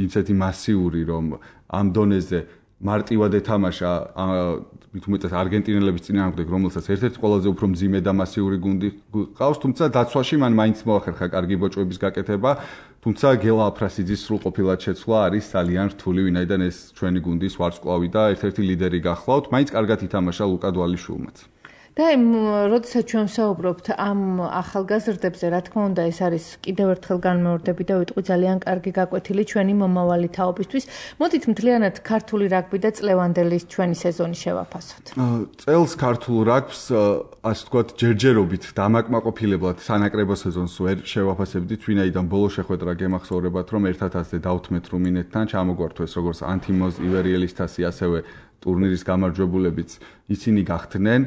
ისეთი მასიური, რომ ამ დონეზე მარტივად ეთამაშა მithumetes არგენტინელების წინააღმდეგ, რომელსაც ერთ-ერთი ყველაზე უფრო მძიმე და მასიური გუნდი ყავს, თუმცა დაცვაში მან მაინც მოახერხა კარგი ბოჭვების გაკეთება, თუმცა გელა აფრასიძის სრულყოფილად შეცვლა არის ძალიან რთული, ვინაიდან ეს ჩვენი გუნდის ვარსკვლავი და ერთ-ერთი ლიდერი გახლავთ, მაინც კარგად ითამაშა ლუკა დვალიშვილმაც. და როდესაც ჩვენ ვსაუბრობთ ამ ახალგაზრდებზე, რა თქმა უნდა, ეს არის კიდევ ერთხელ განმეორდები და ვიტყვი ძალიან კარგი გაკვეთილი ჩვენი მომავალი თაობისთვის. მოდით მთლიანად ქართული რაგბი და წლევანდელი ჩვენი სეზონი შევაფასოთ. წელს ქართულ რაგბს, ასე ვთქვათ, ჯერჯერობით დამაკმაყოფილებლად სანაკრებო სეზონს ვერ შევაფასებდით, ვინაიდან ბოლო შეხვედრა გემახსოვრებათ, რომ ერთად ასე დავთმეთ რუმინეთთან, ჩამოგვართვეს როგორც ანთიმოზ ივერიელის თასი, ასევე ტურნირის გამარჯვებულებიც ისინი გახდნენ.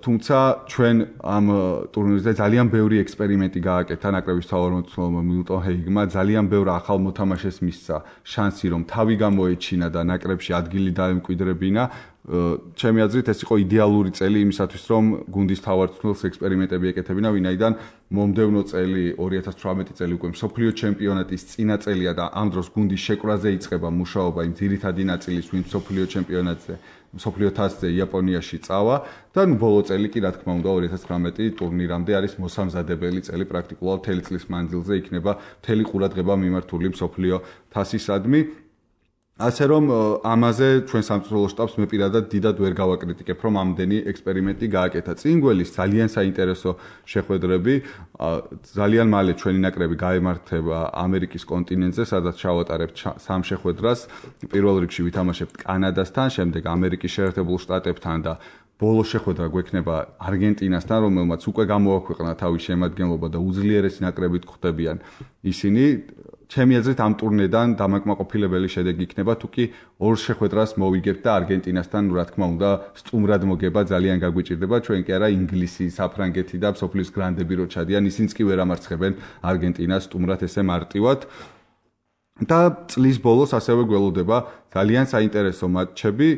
თუმცა ჩვენ ამ ტურნირზე ძალიან ბევრი ექსპერიმენტი გააკეთა ნაკრების თავმჯდომარემ მილტონ ჰეიგმა, ძალიან ბევრ ახალ მოთამაშეს მისცა შანსი რომ თავი გამოეჩინა და ნაკრებში ადგილი დაემკვიდრებინა. ჩემი აზრით ეს იყო იდეალური წელი იმისათვის რომ გუნდის თავმჯდომარეს ექსპერიმენტები ეკეთებინა, ვინაიდან მომდევნო წელი 2018 წელი უკვე მსოფლიო ჩემპიონატის წინა წელია და ამ დროს გუნდის შეკვრაზე იწყება მუშაობა იმ ძირითადი ნაწილის ვინ მსოფლიო ჩემპიონატზე მსოფლიო თასზე იაპონიაში წავა და ბოლო წელი კი რა თქმა უნდა 2019 ტურნირამდე არის მოსამზადებელი წელი პრაქტიკულად მთელი წლის მანძილზე იქნება მთელი ყურადღება მიმართული მსოფლიო თასისადმი. ასე რომ ამაზე ჩვენ სამწვრთნელო შტაბს მე პირადად დიდად ვერ გავაკრიტიკებ რომ ამდენი ექსპერიმენტი გააკეთა. წინ გველის ძალიან საინტერესო შეხვედრები, ძალიან მალე ჩვენი ნაკრები გაემართება ამერიკის კონტინენტზე, სადაც ჩავატარებთ 3 შეხვედრას. პირველ რიგში ვითამაშებთ კანადასთან, შემდეგ ამერიკის შეერთებულ შტატებთან და ბოლო შეხვედრა გვექნება არგენტინასთან, რომელმაც უკვე გამოაქვეყნა თავის შემადგენლობა და უძლიერესი ნაკრებით ხვდებიან ისინი. ჩემი აზრით ამ ტურნედან დამაკმაყოფილებელი შედეგი იქნება, თუკი 2 შეხვედრას მოვიგებთ და არგენტინასთან, რა თქმა უნდა, სტუმრად მოგება ძალიან გაგვიჭირდება, ჩვენ კი არა ინგლისი, საფრანგეთი და მსოფლიოს გრანდები რო ჩადიან, ისინიც კი ვერ ამარცხებენ არგენტინას სტუმრად ესე მარტივად. და წლის ბოლოს ასევე გველოდება ძალიან საინტერესო მატჩები,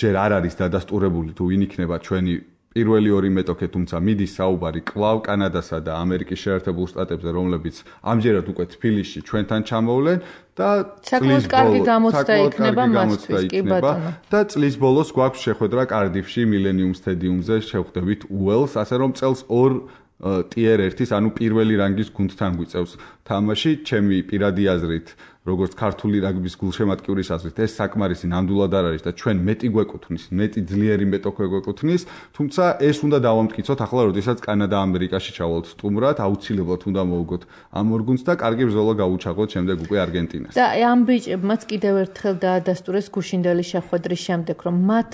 ჯერ არ არის დადასტურებული თუ ვინ იქნება ჩვენი პირველი 2 მეტოქე, თუმცა მიდის საუბარი კლავ კანადასა და ამერიკის შეერთებულ შტატებზე, რომლებიც ამჯერად უკვე თბილისში ჩვენთან ჩამოვლენ და საკმაოდ კარგი გამოცდა იქნება მათთვის, კი ბატონო. და წლის ბოლოს გვაქვს შეხვედრა კარდიფში მილენიუმ სტადიუმზე, შევხვდებით უელს, ასე რომ წელს 2 ტიერ 1-ის, ანუ პირველი რანგის გუნდთან გვიწევს თამაში. ჩემი პირადი აზრით, როგორც ქართული რაგბის გულშემატკივრის აზრით, ეს საკმარისი ნამდვილად არ არის და ჩვენ მეტი გვეკუთვნის, მეტი ძლიერი მეტოქე გვეკუთვნის, თუმცა ეს უნდა დავამტკიცოთ ახლა, როდესაც კანადა ამერიკაში ჩავალთ სტუმრად, აუცილებლად უნდა მოვუგოთ ამ ორ გუნდს და კარგი ბრძოლა გავუჩაღოთ შემდეგ უკვე არგენტინას. და ამ ბიჭებმაც კიდევ ერთხელ დაადასტურეს გუშინდელი შეხვედრის შემდეგ, რომ მათ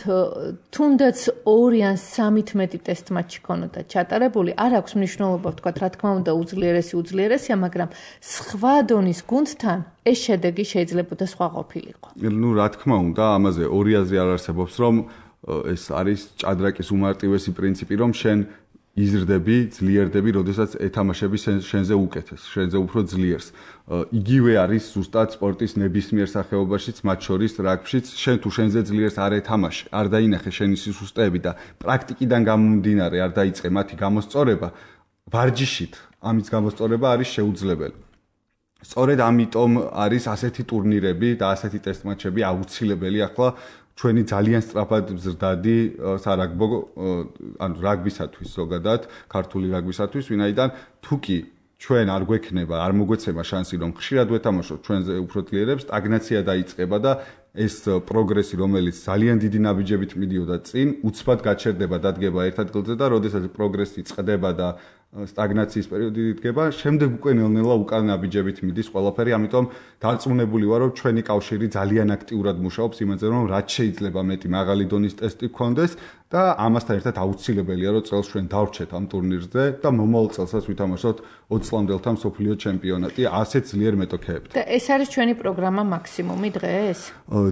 თუნდაც 2 ან 3-ით მეტი ტესტ მატჩი ქონოდა ჩატარებული, არ აქვს მნიშვნელობა, ვთქვათ, რა თქმა უნდა, უძლიერესია, მაგრამ სხვა დონის გუნდთან ეს შედეგი შეიძლება და სხვა ყოფილიყო. ნუ რა თქმა უნდა, ამაზე ორი აზრი არ არსებობს, რომ ეს არის ჭადრაკის უმარტივესი პრინციპი, რომ შენ იზრდები, ძლიერდები, როდესაც ეთამაშები შენზე უკეთეს, შენზე უფრო ძლიერს. იგივე არის ზუსტად სპორტის ნებისმიერ სახეობაშიც, მათ შორის რაგბიშიც, შენ თუ შენზე ძლიერს არ ეთამაშე, არ დაინახე შენი სისუსტეები და პრაქტიკიდან გამომდინარე არ დაიწყე მათი გამოსწორება, ვარჯიშით ამის გამოსწორება არის შეუძლებელი. სწორედ ამიტომ არის ასეთი ტურნირები და ასეთი ტესტ მატჩები აუცილებელი ახლა ჩვენი ძალიან სწრაფად მზრდადი სარაგბო ანუ რაგბისათვის ზოგადად, ქართული რაგბისათვის, ვინაიდან თუკი ჩვენ არ გვექნება, არ მოგვეცემა შანსი რომ ხშირად ვეთამაშოთ ჩვენზე უფრო ძლიერებს, სტაგნაცია დაიწყება და ეს პროგრესი, რომელიც ძალიან დიდი ნაბიჯებით მიდიოდა წინ, უცბად გაჩერდება, დადგება ერთ ადგილზე და როდესაც პროგრესი წყდება და სტაგნაციის პერიოდი იდგება, შემდეგ უკვე ნელ-ნელა უკან ნაბიჯებით მიდის ყველაფერი, ამიტომ დარწმუნებული ვარ, რომ ჩვენი კავშირი ძალიან აქტიურად მუშაობს იმაზე, რომ რაც შეიძლება მეტი მაღალი დონის ტესტი გქონდეს და ამასთან ერთად აუცილებელია, რომ წელს ჩვენ დავრჩეთ ამ ტურნირზე და მომავალ წელსაც ვითამაშოთ 20 წლამდელთა მსოფლიო ჩემპიონატი ასეთ ძლიერ მეტოქეებთან. და ეს არის ჩვენი პროგრამა მაქსიმუმი დღეს?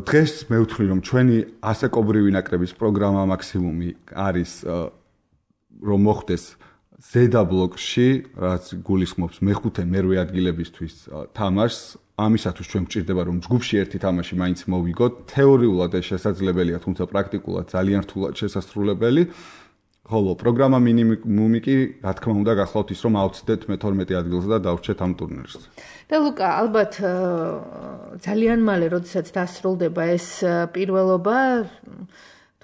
დღეს მე ვთვლი, რომ ჩვენი ასაკობრივი ნაკრების პროგრამა მაქსიმუმი არის რომ მოხდეს ზედა ბლოკში, რაც გულისხმობს მეხუთე მერვე ადგილებისთვის თამაშს, ამისათვის ჩვენ გვჭირდება რომ ჯგუფში ერთი თამაში მაინც მოვიგოთ. თეორიულად ეს შესაძლებელია, თუმცა პრაქტიკულად ძალიან რთულად შესასრულებელი. ხოლო პროგრამა მინიმუმი კი, რა თქმა უნდა, გახლავთ ის რომ ავწდეთ მე-12 ადგილზე და დავრჩეთ ამ ტურნირს. და ლუკა, ალბათ ძალიან მალე, როდესაც დასრულდება ეს პირველობა,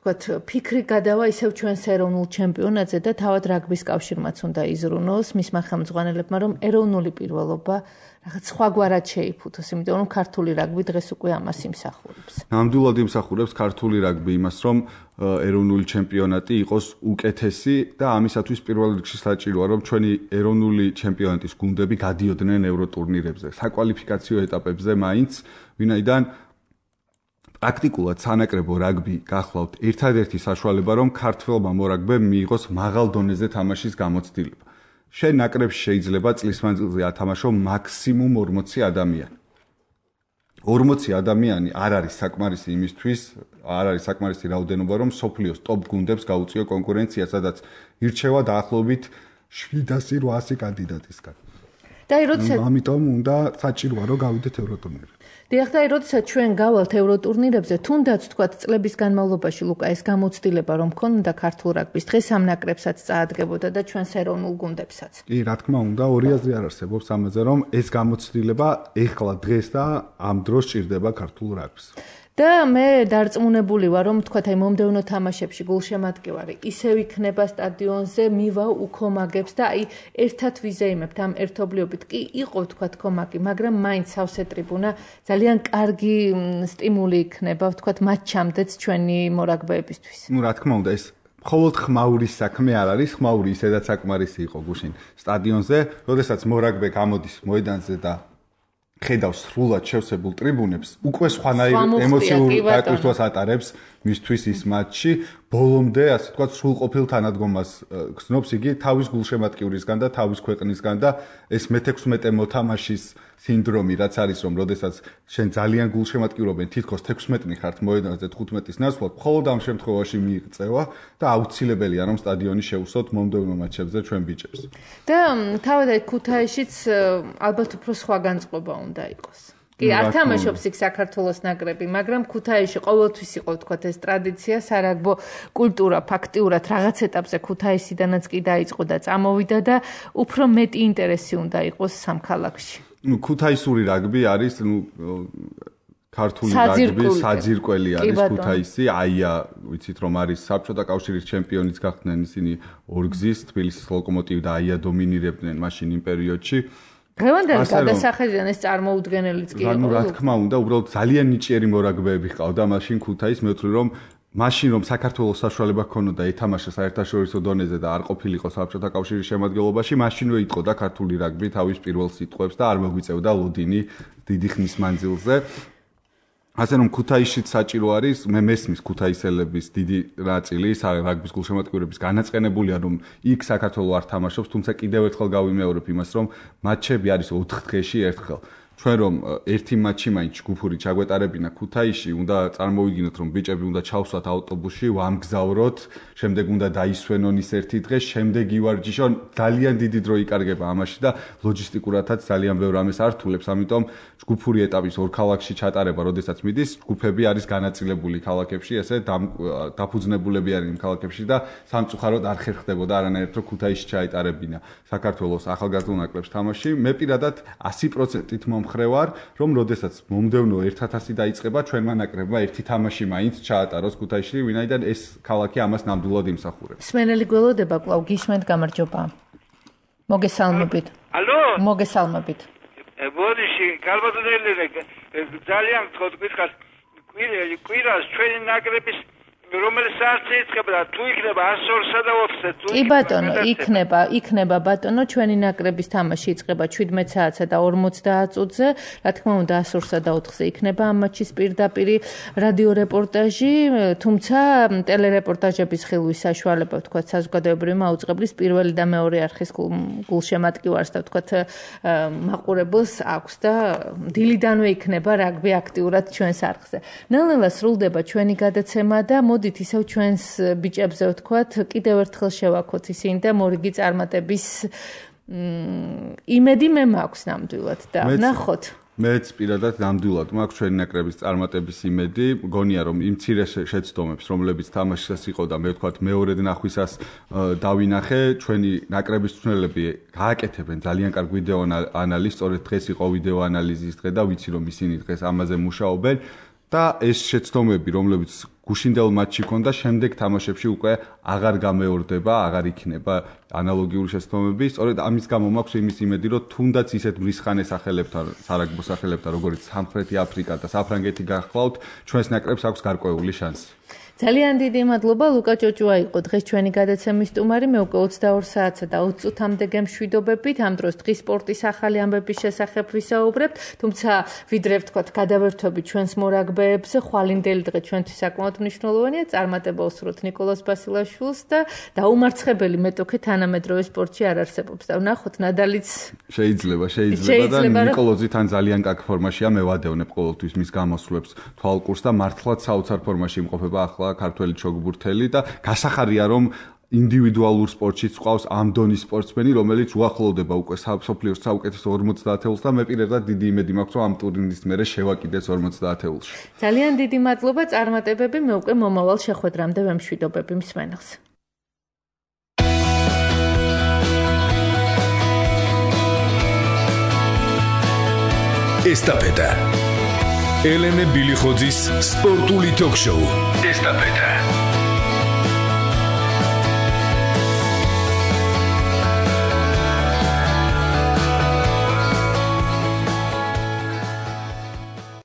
თქვათ, ფიქრი გადავა ისევ ჩვენს ეროვნულ ჩემპიონატზე და თავად რაგბის კავშირმაც უნდა იზრუნოს მისმა ხელმძღვანელებმა, რომ ეროვნული პირველობა რაღაც სხვაგვარად შეიფუთოს, იმიტომ რომ ქართული რაგბი დღეს უკვე ამას იმსახურებს. ნამდვილად იმსახურებს ქართული რაგბი იმას, რომ ეროვნული ჩემპიონატი იყოს უკეთესი და ამისათვის პირველ რიგში საჭიროა, რომ ჩვენი ეროვნული ჩემპიონატის გუნდები გადიოდნენ ევროტურნირებზე, საკვალიფიკაციო ეტაპებზე მაინც, ვინაიდან პრაქტიკულად სანაკრებო რაგბი გახლავთ ერთადერთი საშუალება, რომ ქართველმა მორაგბემ მიიღოს მაღალ დონეზე თამაშის გამოცდილება. შენ ნაკრებში შეიძლება წლის მანძილზე ათამაშო მაქსიმუმ 40 ადამიანი. 40 ადამიანი არ არის საკმარისი იმისთვის, არ არის საკმარისი რაოდენობა, რომ სოფლიოს ტოპ გუნდებს გაუწიო კონკურენცია, სადაც ირჩევა დაახლოებით 700-800 კანდიდატისგან. და როდესაც ამიტომ უნდა საჭიროა რომ გავიდეთ ევროტურნირზე. დიახ, და როდესაც ჩვენ გავალთ ევროტურნირებზე, თუნდაც თქვა წლების განმავლობაში ლუკა ეს გამოცდილება რომ ქონდა ქართულ რაგბის დღეს ამ ნაკრებსაც წაადგებოდა და ჩვენს ეროვნულ გუნდებსაც. კი, რა თქმა უნდა, ორი აზრი არ არსებობს ამაზე, რომ ეს გამოცდილება ეხლა დღეს და ამ დროს ჭირდება ქართულ რაგბს. და მე დარწმუნებული ვარ, რომ თქვათ აი მომდევნო თამაშებში გულშემატკივარი ისევ იქნება სტადიონზე, მივა უქომაგებს და აი ერთად ვიზეიმებთ ამ ერთობლიობით. კი, იყო თქვათ კომაკი, მაგრამ მაინც სავსე ტრიბუნა ძალიან კარგი სტიმული იქნება, თქვათ მატჩამდეც ჩვენი მორაგბეებისთვის. Ну, რა თქმა უნდა, ეს მხოლოდ ხმაურის საქმე არ არის, ხმაური ისედაც საკმარისი იყო გუშინ სტადიონზე, როდესაც მორაგბე გამოდის მოედანზე და ხედავს სრულად შევსებულ ტრიბუნებს, უკვე სხვანაირ ემოციურ დაკვრითვას ატარებს მისთვის ის მატჩი, ბოლომდე, ასე ვთქვათ, სრულყოფილ თანადგომას გრძნობს იგი თავის გულშემატკივრისგან და თავის ქვეყნისგან და ეს მე-16 მოთამაშის სინდრომი, რაც არის, რომ როდესაც შენ ძალიან გულშემატკივრობენ, თითქოს 16-ნი ხართ მოედანზე 15-ის ნაცვლად, მხოლოდ ამ შემთხვევაში მიიღწევა და აუცილებელია, რომ სტადიონი შეუსვოთ მომდევნო მატჩებზე ჩვენ ბიჭებს. და თავად აი ქუთაისშიც ალბათ უფრო სხვა განწყობა უნდა იყოს. კი, არ თამაშობს იქ საქართველოს ნაკრები, მაგრამ ქუთაისში ყოველთვის იყო თქვათ ეს ტრადიცია, სარაგბო კულტურა ფაქტიურად რაღაც ეტაპზე ქუთაისიდანაც კი დაიწყო და წამოვიდა და უფრო მეტი ინტერესი უნდა იყოს სამ ქალაქში. Ну, ქუთაისური რაგბი არის, ქართული რაგბი საძირკველი არის ქუთაისი, აია, ვიცით რომ არის საბჭოთა კავშირის ჩემპიონიც გახდნენ ისინი ორგზის, თბილისის ლოკომოტივი და აია დომინირებდნენ მაშინ იმ პერიოდში. დღევანდელი გადასახედიდან ეს წარმოუდგენელიც კი იყო. რა თქმა უნდა, უბრალოდ ძალიან ნიჭიერი მორაგბეები ჰყავდა მაშინ ქუთაის, მე ვთვლი რომ მაშინ რომ საქართველოს საშუალება ჰქონოდა ეთამაშა საერთაშორისო დონეზე და არ ყოფილიყო საბჭოთა კავშირის შემადგენლობაში, მაშინვე იტყოდა ქართული რაგბი თავის პირველ სიტყვებს და არ მოგვიწევდა ლოდინი დიდი ხნის მანძილზე. ასე რომ ქუთაისშიც საჭირო არის, მე მესმის ქუთაისელების დიდი ნაწილი რაგბის გულშემატკივრების განაწყენებულია, რომ იქ საქართველო არ თამაშობს, თუმცა კიდევ ერთხელ გავიმეორებ იმას, რომ მატჩები არის 4 დღეში ერთხელ. ჩვენ რომ ერთი მატჩი მაინც ჯგუფური ჩაგვეტარებინა ქუთაისში, უნდა წარმოვიგინოთ, რომ ბიჭები უნდა ჩავსვათ ავტობუსში, ვამგზავროთ, შემდეგ უნდა დაისვენონ ის ერთი დღე, შემდეგ ივარჯიშონ, ძალიან დიდი დრო იკარგება ამაში და ლოჯისტიკურადაც ძალიან ბევრ ამას ართულებს, ამიტომ ჯგუფური ეტაპის ორ ქალაქში ჩატარება, როდესაც მიდის, ჯგუფები არის განაწილებული ქალაქებში, ესე დაფუძნებულები არიან იმ ქალაქებში და სამწუხაროდ არ ხერხდებოდა არანაირად, რომ ქუთაისში ჩაეტარებინა საქართველოს ახალგაზრდულ ნაკრებს თამაში. მე პირადად 100%-ით მომხრევარ, რომ როდესაც მომდევნო 1000 დაიწყება, ჩვენმა ნაკრებმა ერთი თამაში მაინც ჩაატაროს ქუთაისში, ვინაიდან ეს ქალაქი ამას ნამდვილად იმსახურებს. სმენელი გველოდება კვლავ გისმენთ, გამარჯობა. მოგესალმებით. ალო? მოგესალმებით. ბოდიში, კარბატონელი ძალიან გითხარ, კვირას ჩვენი ნაკრების რომელიც საათზე იწყება და თუ იქნება 102-სა და 4-ზე თუ კი ბატონო, იქნება ბატონო, ჩვენი ნაკრების თამაში იწყება 17 საათსა და 50 წუთზე. რა თქმა უნდა 102-სა და 4-ზე იქნება ამ მატჩის პირდაპირ რადიო რეპორტაჟი, თუმცა ტელერეპორტაჟების ხილვის საშუალება, ვთქვათ, საზოგადოებრივი მაუწყებლის პირველი და მეორე არხის გულშემატკივარს და ვთქვათ, მაყურებელს აქვს და დილიდანვე იქნება რაგბი აქტიურად ჩვენს არხზე. ნელ-ნელა სრულდება ჩვენი გადაცემა და მოდით ისევ ჩვენს ბიჭებზე ვთქვათ, კიდევ ერთხელ შევაქოთ ისინი და მორიგი წარმატების იმედი მე მაქვს ნამდვილად და ნახოთ. მეც პირადად ნამდვილად მაქვს ჩვენი ნაკრების წარმატების იმედი. მგონია რომ იმ მცირე შეცდომებს, რომლებიც თამაშისას იყო და მე ვთქვათ მეორედ ნახვისას დავინახე, ჩვენი ნაკრების მწვრთნელები გააკეთებენ ძალიან კარგ ვიდეო ანალიზს, სწორედ დღეს იყო ვიდეო ანალიზის დღე და ვიცი რომ ისინი დღეს ამაზე მუშაობენ. და ეს შეცდომები, რომლებიც გუშინდელ მატჩში ქონდა, შემდეგ თამაშებში უკვე აღარ გამეორდება, აღარ იქნება ანალოგიური შეცდომები. სწორედ ამის გამო მაქვს იმის იმედი, რომ თუნდაც ისეთ მრისხანე სახელებთან, სარაგბო სახელებთან, როგორც სამხრეთი აფრიკა და საფრანგეთი გახლავთ, ჩვენს ნაკრებს აქვს გარკვეული შანსი. ძალიან დიდი მადლობა ლუკა ჭოჭუა იყო დღეს ჩვენი გადაცემის სტუმარი მე უკვე 22 საათსა და 20 წუთამდე გემშვიდობებით ამ დროს დღის სპორტის ახალი ამბების შესახებ ვისაუბრებთ თუმცა ვიდრე ვთქვათ გადავერთვებით ჩვენს მორაგბეებზე ხვალინდელი დღე ჩვენთვის საკმაოდ მნიშვნელოვანია წარმატება უსურვოთ ნიკოლოზ ბასილაშვილს და დაუმარცხებელი მეტოქე თანამედროვე სპორტში არ არსებობს და ვნახოთ ნადალიც შეიძლება და ნიკოლოზი თან ძალიან კაკ ფორმაშია მე ვადევნებ ყოველთვის მის გამოსვლებს თვალყურს და მართლაც საოცარ ფორმაში იმყოფება ახლა ქართველი ჩოგბურთელი და გასახარია რომ ინდივიდუალურ სპორტშიც ყავს ამ დონის სპორტსმენი რომელიც უახლოვდება უკვე მსოფლიოს საუკეთესო 50-ს და მე პირადად დიდი იმედი მაქვს რომ ამ ტურნირის მერე შევაკიდეს 50-ში. ძალიან დიდი მადლობა წარმატებები მე უკვე მომავალ შეხვედრამდე ვემშვიდობები მსმენელს. ესტაფეტა ელენე ბილიხოძის სპორტული ток-შოუ ესტაფეტა